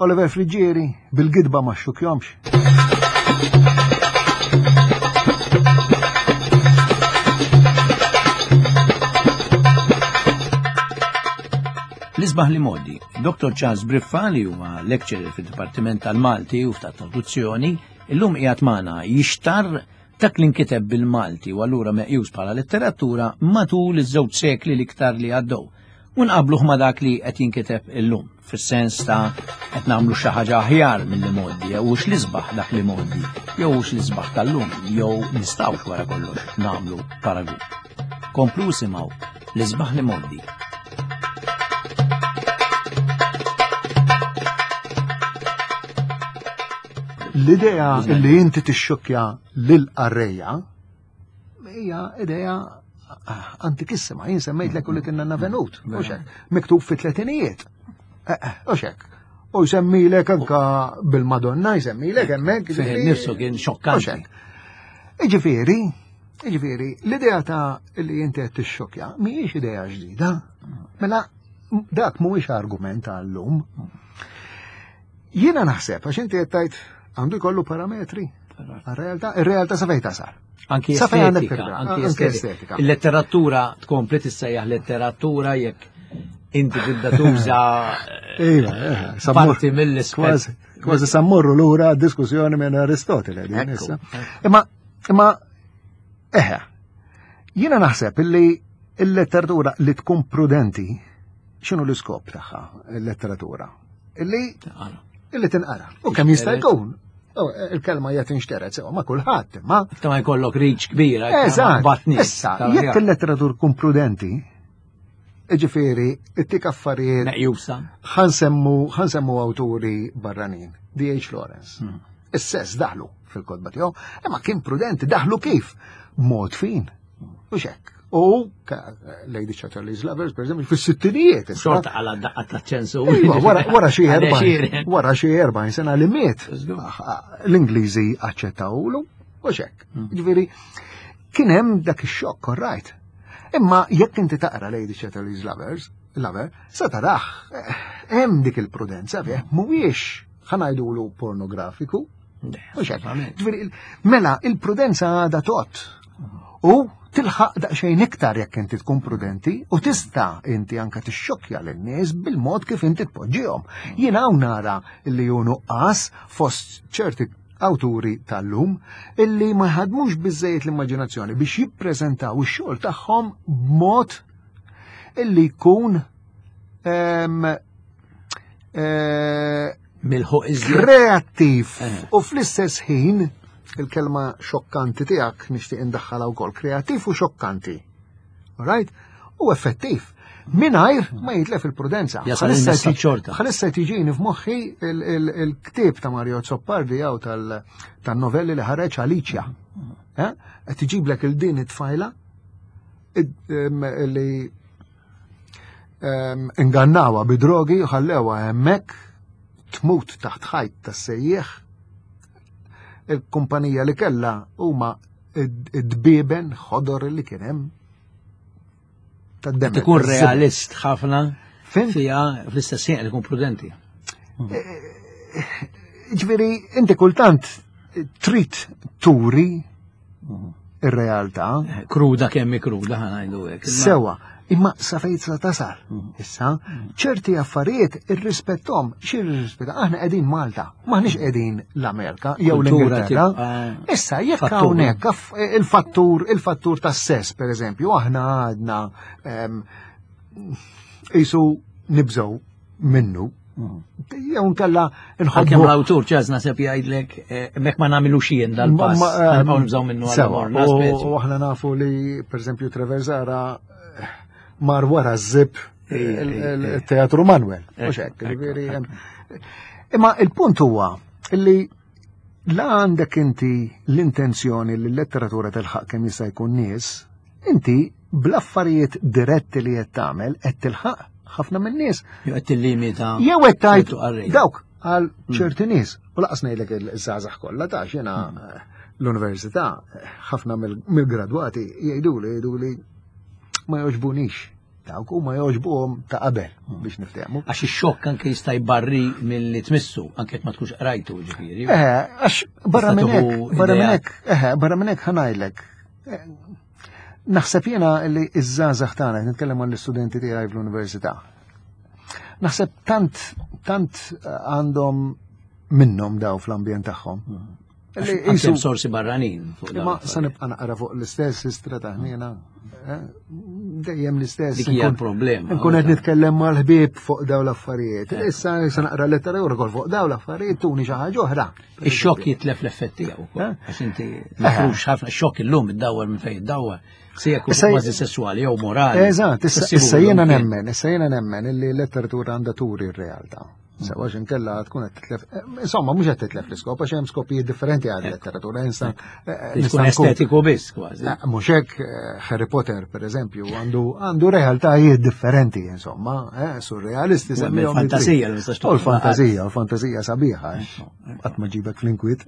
Oliver Friggieri, bil-gidba ma xukjomx. L-isbaħ li modi, Dr. Charles Briffa li huwa lecturer fid-Dipartiment tal-Malti u ta' Traduzzjoni, illum qiegħed magħna jixtar dak li nkiteb bil-Malti u allura meqjus bħala letteratura matul iż-żewġ sekli l-iktar li għaddew. U nqabluh ma' dak li qed jinkiteb illum, fis-sens ta' qed nagħmlu xi ħaġa aħjar mill-li mgħoddi, jew hux l-isbaħ dak li mgħoddi, jew hux l-isbaħ tal-lum, jew nistgħux wara kollox nagħmlu paragun. Komplu simgħu l-isbaħ li mgħoddi. L-idea li inti tixxokkja lil qarrejja hija idea antikissima, jien semmejt l li tinna navenut, u xek, miktub fi tletinijiet, eh, eh, u xek. U jsemmilek anka bil-Madonna, jsemmilek hemmhekk. Fih nifsu kien xokkanti. Iġifieri, iġifieri, l-idea ta' li inti qed tixxokja mhijiex idea ġdida. Mela dak mhuwiex argument għallum. Jiena naħseb, għax inti qed tgħid għandu jkollu parametri. Għar-realtà, ir-realtà sa fejn tasal. Anki estetika, anki estetika. Il-letteratura tkompli tissejjaħ letteratura jekk inti tibda tuża iva, eh, parti mill-ispett. Kważi sammurru lura diskussjoni minn Aristotele din issa. Imma imma eħe, jiena naħseb illi il-letteratura li tkun prudenti x'inhu l-iskop tagħha il-letteratura? Illi illi tinqara. U kemm jista' jkun. Oh, il-kelma hija tinxteret sewa ma' kulħadd, ma. Ta' ma jkollok riċ kbira. Eżatt. Issa, jekk il-letteratur kun prudenti, ġifieri, it-tik affarijiet. Meqjusa. Ħansemmu ħansemmu awturi barranin. D.H. Lawrence. Hmm. Is-sess daħlu fil-kodba tiegħu, imma kien prudenti, daħlu kif? Mod fin. U xek. U Lady Chatterley's Lovers, per eżempju, fis-sittinijiet. Xorta għala daqqa ta' ċensu. Iva, wara xi erba' wara xi erba' sena li miet. L-Ingliżi aċċettawlu u xek. Hmm. Ġifieri, kien hemm dak ix-xokk, all right. Imma jekk inti taqra Lady Chatterley's Lovers, Il-Lover, sa taraħ, eh, hemm dik il-prudenza fih, mhuwiex ħanajdulu pornografiku. Mhux hekk. Mela, il-prudenza għadha tot. U tilħaq daqsxejn iktar jekk inti tkun prudenti u tista' inti anke tixxokkja lin-nies bil-mod kif inti tpoġġihom. Jien hawn nara li hu nuqqas fost ċerti awturi tal-lum illi ma jħadmux biżejjed l-immaġinazzjoni biex jippreżentaw ix-xogħol tagħhom b'mod illi jkun ehm, eh, milħuq iżjed kreattiv eh. u fl-istess ħin il-kelma xokkanti tiegħek nixtieq indaħħalha wkoll kreattiv u xokkanti. Right? U effettiv. Minajr ma jitlef il-prudenza. Bħalissa tiġini f'moħħi il-ktieb ta' Mario Zoppardi jew tan-novelli li ħareġ Alicia. Eh? Qed tiġiblek il-din it-tfajla li ingannawa bi drogi u ħallewa hemmhekk tmut taħt ħajt tas-sejjieħ. Il-kumpanija li kellha huma id-dbieben ħodor li kien hemm tad-demel. Tkun realist ħafna fija fl-istess ħin ikun prudenti. Eh, eh, ġifieri inti kultant trid turi ir-realtà. Eh, kruda kemm kruda ħanajdu hekk. Sewa, imma sa fejn sa tasal. Mm. Issa, mm. ċerti affarijiet irrispettom, xi irrispetta, aħna qegħdin Malta, maħniex qegħdin l-Amerika jew l-Ingilterra. Issa, jekk hawnhekk il-fattur, il-fattur tas-sess, pereżempju, aħna għadna ehm, qisu nibżgħu minnu. Jew nkella nħobbu. Kemm l-awtur ċaz naseb jgħidlek eh, mek ma nagħmlu xien dal-pass. Eh, nibqgħu nibżgħu minnu għal U aħna nafu li pereżempju Trevor Zara eh, mar wara żib il-Teatru Manuel. Imma il-punt huwa li la għandek inti l-intenzjoni li l-letteratura tilħaq kemm jista' jkun nies, inti bl-affarijiet diretti li qed tagħmel qed tilħaq ħafna minn nies. Jew qed tillimita. Jew qed tgħid dawk għal mm. ċerti nies. U laqas ngħidlek il-żgħażagħ kollha ta' jiena mm. l-università ħafna mill-gradwati jgħiduli jgħiduli ma jogħġbunix Dawk huma jogħġbuhom ta' qabel biex niftehmu. Għax ix-xokk anke jista' jbarri milli tmissu, anke jekk ma tkunx qrajtu ġifieri. Eh, għax barra minn hekk, barra minn hekk, eh, barra minn hekk ħanajlek. Eh, naħseb jiena li iż-żgħażagħ tagħna, nitkellem għall-istudenti tiegħi fl-università. Naħseb tant tant għandhom minnhom daw fl-ambjent tagħhom. Hmm. Jisu sorsi barranin. Ma sa nibqa' naqra fuq l-istess istra ta' ħniena. Eh, dejjem l-istess. Dik hija problema. Nkun qed nitkellem mal-ħbieb fuq daw l-affarijiet. Eh. Issa issa naqra lettera u fuq daw l-affarijiet tuni xi ħaġa oħra. Ix-xokk jitlef l-effett tiegħu ukoll. Eh? Għax inti mifrux ħafna xokk illum iddawwar minn fejn iddawwar. Se jekk kważi sesswali jew morali. Eżatt, issa jiena nemmen, issa jiena nemmen illi l-letteratura għandha turi r-realtà. Sewa inkella tkun qed titlef. Eh, insomma, mhux qed titlef l-iskop għax hemm skopijiet differenti għal letteratura. Insa eh, tkun estetiku biss kważi. Eh, mhux hekk Harry Potter pereżempju għandu għandu realtajiet differenti insomma, surrealisti semmihom. Fantasija li U l-fantasija, l-fantasija sabiħa, qatt ma ġibek fl-inkwiet.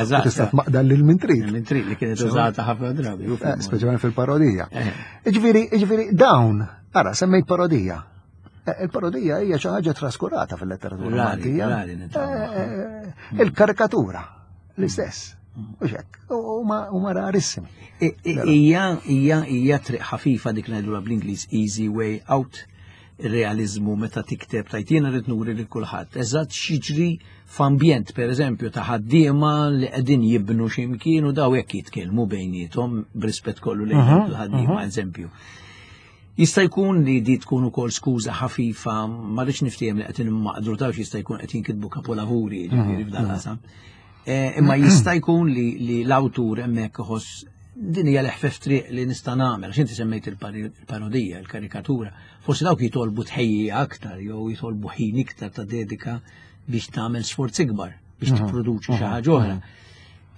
Eżatt. Tista' tmaqdal lil min trid. Min trid li kienet użata ħafna drabi. Speċjalment fil-parodija. Ġifieri, ġifieri dawn, ara semmejt parodija. Eh, il-parodija hija xi ħaġa traskurata fil-letteratura Maltija. Eh, eh, il-karikatura l-istess. U xek, huma rarissimi. Hija hija hija triq ħafifa dik ngħidulha bl-Ingliż easy way out ir-realizmu meta tikteb tajt jiena rrid nuri lil kulħadd. Eżatt x'jiġri f'ambjent pereżempju ta' ħaddiema li qegħdin jibnu xi mkien u daw hekk jitkellmu bejniethom b'rispett kollu lejn il-ħaddiema eżempju. Jista' jkun li di tkun ukoll skuża ħafifa, ma rridx niftiehem li qed immaqdru taf jista' jkun qed jinkitbu kapolavuri ġifieri f'dan mhm. qasam. Eh, imma jista' jkun li l-awtur hemmhekk iħoss din hija l-eħfef triq li nista' nagħmel, għax inti semmejt il-parodija, il-karikatura, forsi dawk jitolbu tħejjija aktar jew jitolbu ħin iktar ta' dedika biex tagħmel sforz ikbar biex mhm. tipproduċi xi mhm. ħaġa oħra.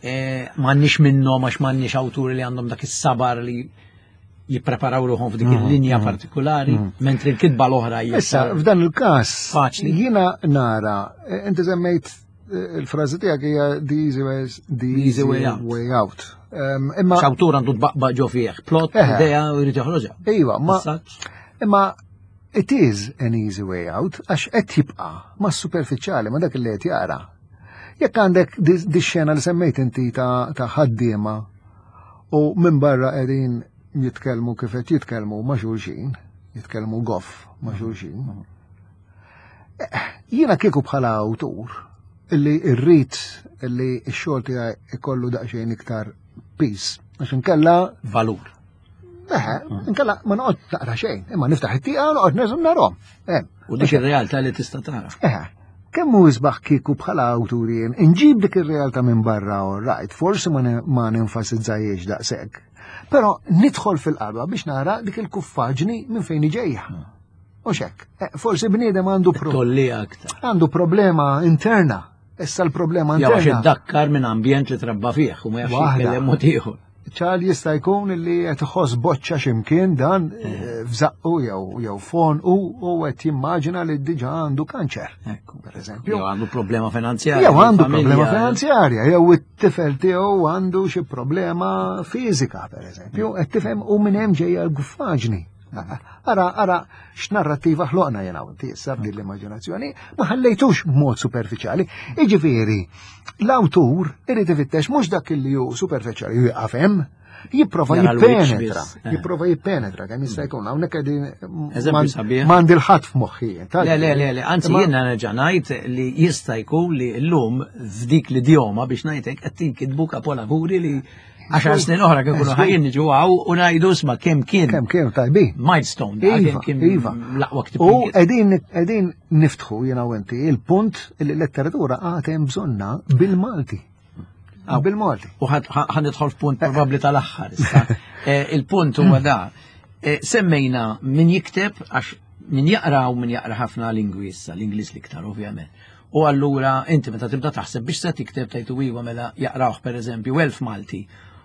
Eh, m'għandniex minnhom għax m'għandniex awturi li għandhom dak is-sabar li jippreparaw ruħhom f'dik mm, il-linja mm, partikolari, mm. mentri l-kitba l-oħra hija. Issa, f'dan il-każ, faċli. Jiena nara, eh, inti semmejt eh, il-frażi tiegħek hija the easy way, the easy way out. Way out. Imma x'awtur għandu tbaqba ġo fih, plot, eh. idea u jrid joħroġha. Iva, ma imma It is an easy way out għax qed jibqa' ma' superfiċjali ma' dak li qed jara. Jekk għandek di xena li semmejt inti ta' ħaddiema u minn barra qegħdin jitkellmu kif qed jitkellmu ma' xulxin, jitkellmu goff ma' xulxin. Eh, jiena kieku bħala awtur illi rrid illi x-xogħol tiegħi ikollu daqsxejn iktar peace għax inkella valur. Eħe, inkella ma noqgħod naqra xejn, imma niftaħ it-tieqa u noqgħod neżum narhom. U dik ir-realtà li tista' tara. Eħe, kemm hu isbaħ kieku bħala awtur jien inġib dik ir-realtà minn barra all right, forsi ma nenfasizzajiex daqshekk. Però nidħol fil-qalba biex nara dik il-kuffaġni minn fejn iġejja. U xek, eh, forsi bniedem għandu Għandu problema interna. Issa l-problema interna. Jew dakkar minn ambjent li trabba fih u ma jafx jitkellem mod ieħor. ċal jista' jkun li qed iħoss boċċa x'imkien dan eh. eh, f'żaqqu jew jew fon u u qed jimmaġina li diġà għandu kanċer. Per eżempju. Jew għandu problema finanzjarja. Jew għandu problema finanzjarja, jew it-tifel tiegħu għandu xi problema fiżika, per eżempju, qed tifhem u minn hemm ġejja l-guffaġni. Ara, ara, x'narrattiva ħloqna jena u inti issa b'din l-immaġinazzjoni, ma ħallejtux b'mod superfiċjali. Iġifieri, l-awtur irid ifittex mhux dak li hu superfiċjali u jaqaf hemm, jipprova jippenetra, eh. jipprova jippenetra kemm jista' jkun hawnhekk qegħdin m'għandi l-ħadd f'moħħi. Le, le, le, le, anzi jiena nerġa' ngħid li jista' jkun li llum f'dik l-idjoma biex ngħidlek qed tinkitbu kapolavuri li Għaxar snin oħra kien kunu ħajjin niġu għaw u ngħidu sma kemm kien. Kemm kien tajbi. Milestone, iva, kien iva. l-aqwa ktib. U qegħdin qegħdin niftħu jiena u inti il-punt li l-letteratura għad hemm bżonna bil-Malti. Bil-Malti. U ħan nidħol f'punt probabbli tal-aħħar issa. Eh, il-punt huwa da. Eh, semmejna min jikteb għax min jaqra u min jaqra ħafna lingwi issa, l-Ingliż l-iktar ovvjament. U allura inti meta tibda taħseb biex se tikteb tgħid iva mela jaqrawh pereżempju 1000 Malti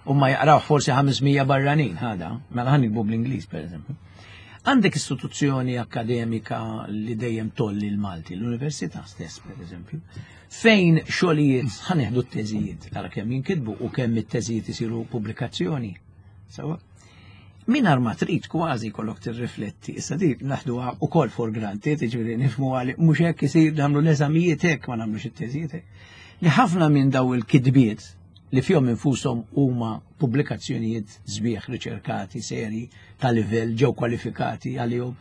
u ma jaqrawh forsi 500 barranin ħada, mela ħan nikbu bl-Ingliż pereżempju. Għandek istituzzjoni akademika li dejjem tolli l-Malti, l-Università stess pereżempju, fejn xogħlijiet ħanieħdu t-teżijiet, tara kemm jinkitbu u kemm it-teżijiet isiru pubblikazzjoni. Sawa? Minar ma trid kważi kollok tirrifletti, issa di naħduha ukoll for granted, jiġifieri nifhmu għali mhux hekk isir nagħmlu l-eżamijiet hekk ma nagħmlux it-teżijiet hekk. Li ħafna minn daw il-kitbiet li fihom infushom huma pubblikazzjonijiet sbieħ riċerkati seri ta' livell ġew kwalifikati għalihom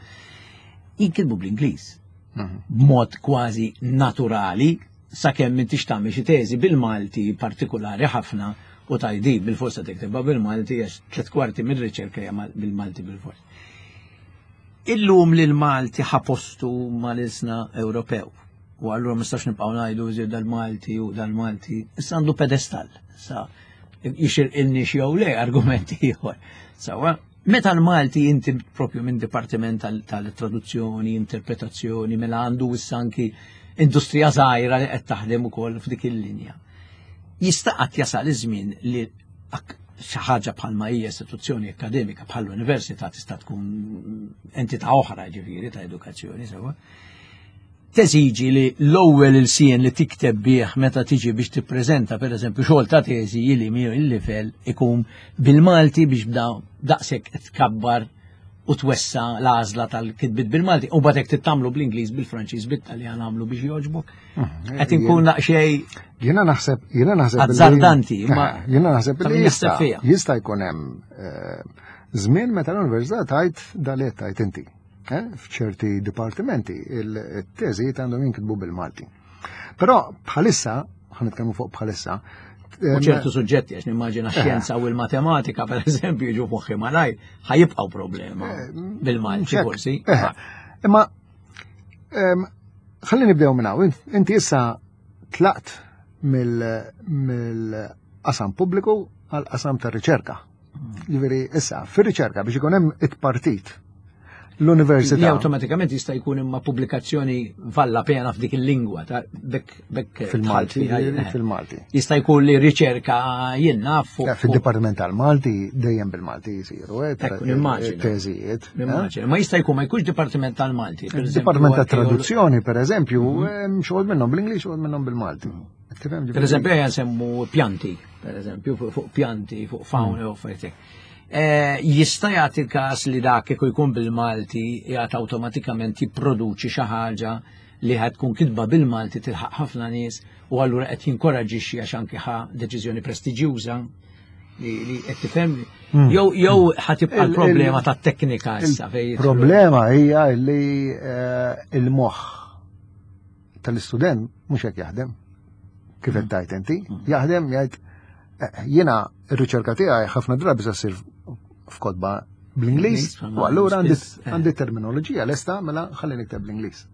jinkitbu bl-Ingliż. Mhm. B'mod kważi naturali sakemm m'intix tagħmel xi teżi bil-Malti partikulari ħafna u tajdi bil-forsa tiktibha bil-Malti għax tliet kwarti mir-riċerka hija bil-Malti bil-fors. Illum li l-Malti ħapostu mal-ilsna Ewropew u allura ma nistax nibqgħu ngħidu iżjed dal-Malti u dal-Malti, issa għandu pedestall. Sa jixir ilni jew le argumenti ieħor. Sawa, Meta l-Malti inti propju minn dipartiment tal-traduzzjoni, interpretazzjoni, mela għandu issa anki industrija żgħira li qed taħdem ukoll f'dik il-linja. Jista' qatt jasal iż-żmien li xi ħaġa bħalma hija istituzzjoni akademika bħall-università tista' tkun entità oħra ġifieri ta' edukazzjoni sewwa. Teżiġi li l-ewwel ilsien li tikteb bih meta tiġi biex tippreżenta pereżempju xogħol ta' teżi li mi il-livell ikun bil-Malti biex bda daqshekk tkabbar u twessa l-għażla tal-kitbit bil-Malti u bagħad hekk tittamlu bl-Ingliż, bil-Franċiż, bit-Taljan għamlu biex jogħġbok. Mhm. Qed inkun daqsxejn Jiena naħseb, jiena naħseb. Azzardanti, ma eh, jiena naħseb li jista' jista' jkun hemm eh, żmien meta l-università tajt dalet tajt inti. Eh, f'ċerti dipartimenti il-teżijiet għandhom jinkitbu bil-Malti. Però bħalissa, ħan nitkellmu fuq bħalissa, U ċertu suġġetti, għax nimmaġina eh. xjenza u l-matematika, per eżempju, ġu moħħi malaj, ħajibqaw problema eh, bil-Malti forsi. Imma, ħalli nibdew minn hawn, inti issa tlaqt mill-qasam pubbliku għal qasam tar-riċerka. Ġifieri issa fir-riċerka biex ikun hemm it-partit l-università. Li awtomatikament jista' jkun imma pubblikazzjoni valla pena f'dik il-lingwa ta' bekk bekk fil-Malti eh. fil-Malti. Jista' jkun li riċerka jien naf fuq. Fid-Dipartiment tal-Malti dejjem bil-Malti jisiru, eh, teżijiet. Eh? Ma jista' jkun ma jkunx Dipartiment tal-Malti. Dipartiment tat-Traduzzjoni, per eżempju, mhm. xogħol minnhom bl-Ingliż, xogħol minnhom bil-Malti. Mhm. Per eżempju, ejja nsemmu pjanti, per eżempju, fuq pjanti, fuq fauna u affarijiet. Eh, jista' jagħti l-każ li dak kieku jkun bil-Malti jagħti awtomatikament jipproduċi xi ħaġa li ħad tkun kitba bil-Malti tilħaq ħafna nies u allura qed jinkoraġixxi għax anki ħa deċiżjoni prestiġjuża li qed tifhem hmm. jew jew ħa tibqa' l-problema tat-teknika issa fejn Problema hija li eh, il-moħħ tal-istudent mhux hekk jaħdem. Kif qed hmm. tajt inti, hmm. jaħdem jgħid eh, jiena r-riċerka tiegħi ħafna drabi se ssir f'kotba bl-Ingliż, u allura għandi eh. terminoloġija lesta mela ħalli nikteb bl-Ingliż.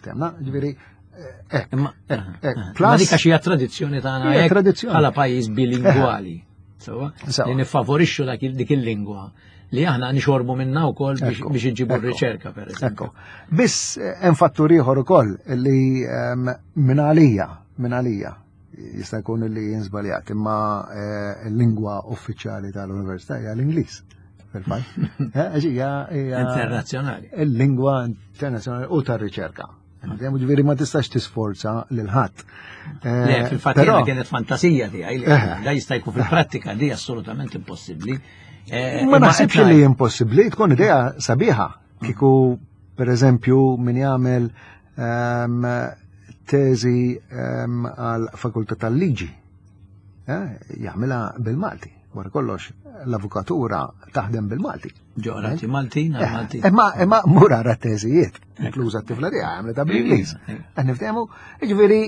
Temna, ġifieri Imma dik għax hija tradizzjoni tagħna tradizzjoni bħala pajjiż bilingwali. Sewa, li niffavorixxu dik il-lingwa li aħna nixorbu minna wkoll biex iġibu r-riċerka per eżempju. Biss eh, hemm fattur ieħor ukoll li ehm, minn għalija, minn għalija jista' jkun li jinżbaljat, imma eh, l-lingwa uffiċjali tal-università hija l-Ingliż. Fil-fatt. Eh, internazzjonali. Il-lingwa internazzjonali u tar-riċerka. Ġifieri ma tistax tisforza lil ħadd. Eh, Le, fil-fatt jiena kienet fantasija tiegħi li eh. da jista' jkun fil-prattika di assolutament impossibbli. Eh, ma naħsibx li impossibbli, tkun idea sabiħa. Kieku per eżempju min jagħmel ehm, teżi ehm, għal fakultà tal-liġi jagħmilha bil-Malti. Wara kollox, l-avukatura taħdem bil-Malti. Ġorati Maltin, eh, Maltin. Imma imma mur ara teżijiet, inkluża t-tifla tiegħi għamlet bl-Ingliż. Eh, niftehmu, jiġifieri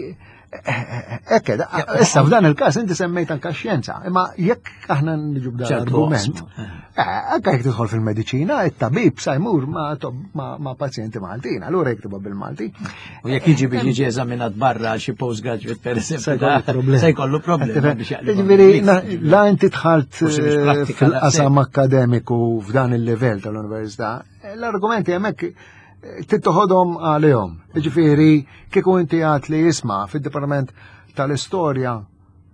Ekke, issa f'dan il-każ inti semmejt anka xjenza, imma jekk aħna niġu b'dan l-argument, eh, anka jekk tidħol fil-mediċina, it-tabib sa jmur ma' pazjenti Maltin, allura jiktibha bil-Malti. U jekk jiġi biex jiġi eżaminat barra xi postgraduate per eżempju, se jkollu problema biex jaqleb. Jiġifieri la inti dħalt eh, fil-qasam akademiku f'dan il-livell tal-università, eh, l-argumenti hemmhekk eh, tittoħodhom għalihom. Jiġifieri kieku inti għad li jisma' fid-Dipartiment tal-Istorja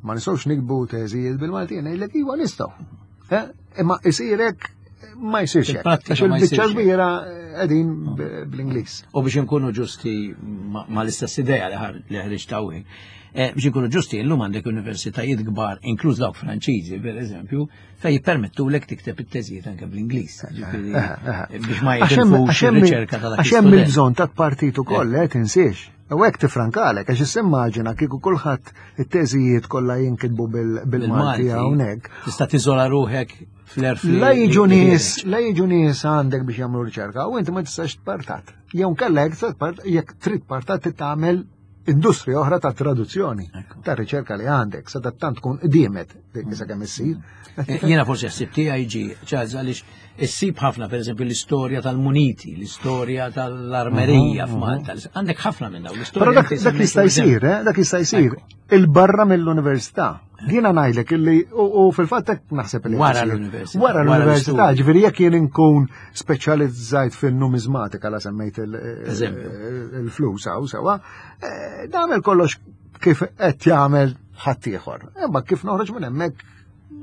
ma nistgħux nikbu teżijiet bil-Malti, ngħidlek iva nistgħu. Eh, imma isirek ma jsirx hekk. Għax il-biċċa kbira qegħdin bl-Ingliż. U biex inkunu ġusti ma l-istess idea li ħriġt hawnhekk. Eh, biex inkunu ġusti, illum għandek universitajiet kbar, inkluż dawk Franċiżi, per eżempju, fej jippermettulek tikteb it-teżijiet anke bl-Ingliż. Eh, biex ma jitilfux ir-riċerka tal Għax hemm il-bżonn ta' partit ukoll, eh, tinsiex. U hekk tifrankalek, għax immaġina kieku kulħadd it-teżijiet kollha jinkitbu bil-Malti hawnhekk. Tista' tiżola ruħek fl-erf. La jiġu nies, la jiġu nies għandek biex jagħmlu riċerka u inti ma tistax tpartat. Jew kellek jekk trid partat tagħmel industrija oħra ta' traduzzjoni, ta' riċerka li għandek, sa tant tkun qdiemet dik sa kemm issir. Eh, jiena forsi ħsib tiegħi ġi, ċaż għaliex issib ħafna pereżempju l-istorja tal-muniti, l-istorja tal-armerija mhm, mhm. f'Malta. Għandek ħafna minn dawn l-istorja. Però dak jista' jsir, eh, dak jista' jsir. Il-barra mill-università. Jiena ngħidlek illi u fil-fatt hekk naħseb li wara l-università. Wara l-università, ġifieri jekk jien inkun speċjalizzajt fin-numizmatika la semmejt il-flus hawn sewa, eh, nagħmel kollox kif qed jagħmel ħaddieħor. Imma kif noħroġ minn hemmhekk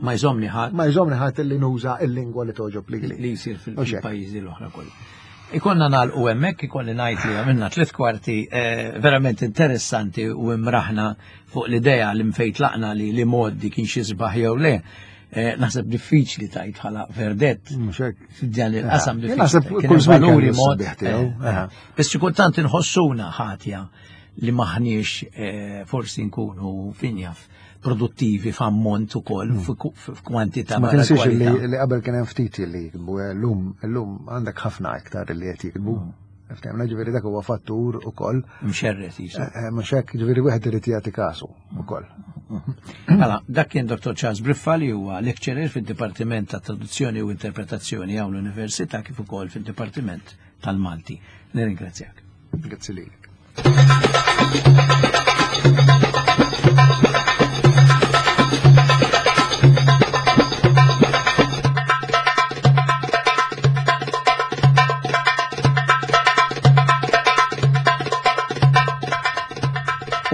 ma jżomni ħadd. Ma jżomni ħadd li nuża il-lingwa li toġob li li jsir fil-pajjiżi l-oħra kollha. Ikonna nagħlqu hemmhekk ikolli ngħid li għamilna tliet kwarti eh, verament interessanti u imraħna fuq l-idea li mfejn tlaqna li li moddi kien xi sbaħ jew le. Eh, naħseb diffiċli tajt bħala verdett. F'dan il-qasam eh, diffiċli. Kull valuri mod. Eh, biss xi kultant inħossuna ħatja li maħniex forsi nkunu finjaf produttivi f'ammont ukoll hmm. f'kwantità. Ma tinsiex li qabel kien hemm ftit li jiktbu, eh, llum llum għandek ħafna iktar li qed jiktbu. Hmm. Ftemna ġifieri dak huwa fattur ukoll. Mxerret jisu. Eh, eh, mhux hekk ġifieri wieħed irid jagħti kasu ukoll. Hmm. Mela, dak kien Dr. Charles Briffa li huwa lecturer fid-Dipartiment ta' Traduzzjoni u Interpretazzjoni hawn l-Università kif ukoll fid-Dipartiment tal-Malti. Nirringrazzjak. Grazzi lilek.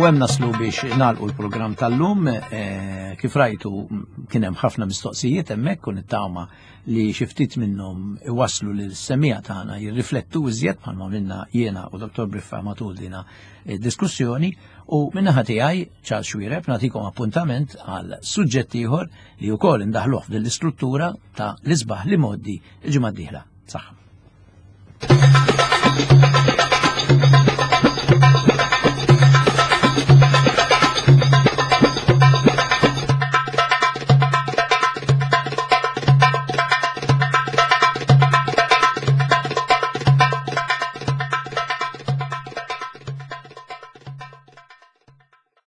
U hemm naslu biex nagħlqu l-programm tal-lum, eh, kif rajtu kien hemm ħafna mistoqsijiet hemmhekk u nittama li xi ftit minnhom iwasslu lil semija tagħna jirriflettu iżjed bħalma minna jiena u Dr. Briffa matul dina eh, diskussjoni u minnaħa tiegħi Charles Xuereb nagħtikom appuntament għal suġġett ieħor li wkoll indaħluh f'din l-istruttura ta' l-isbaħ li moddi il-ġimgħa d-dieħla. Saħħa.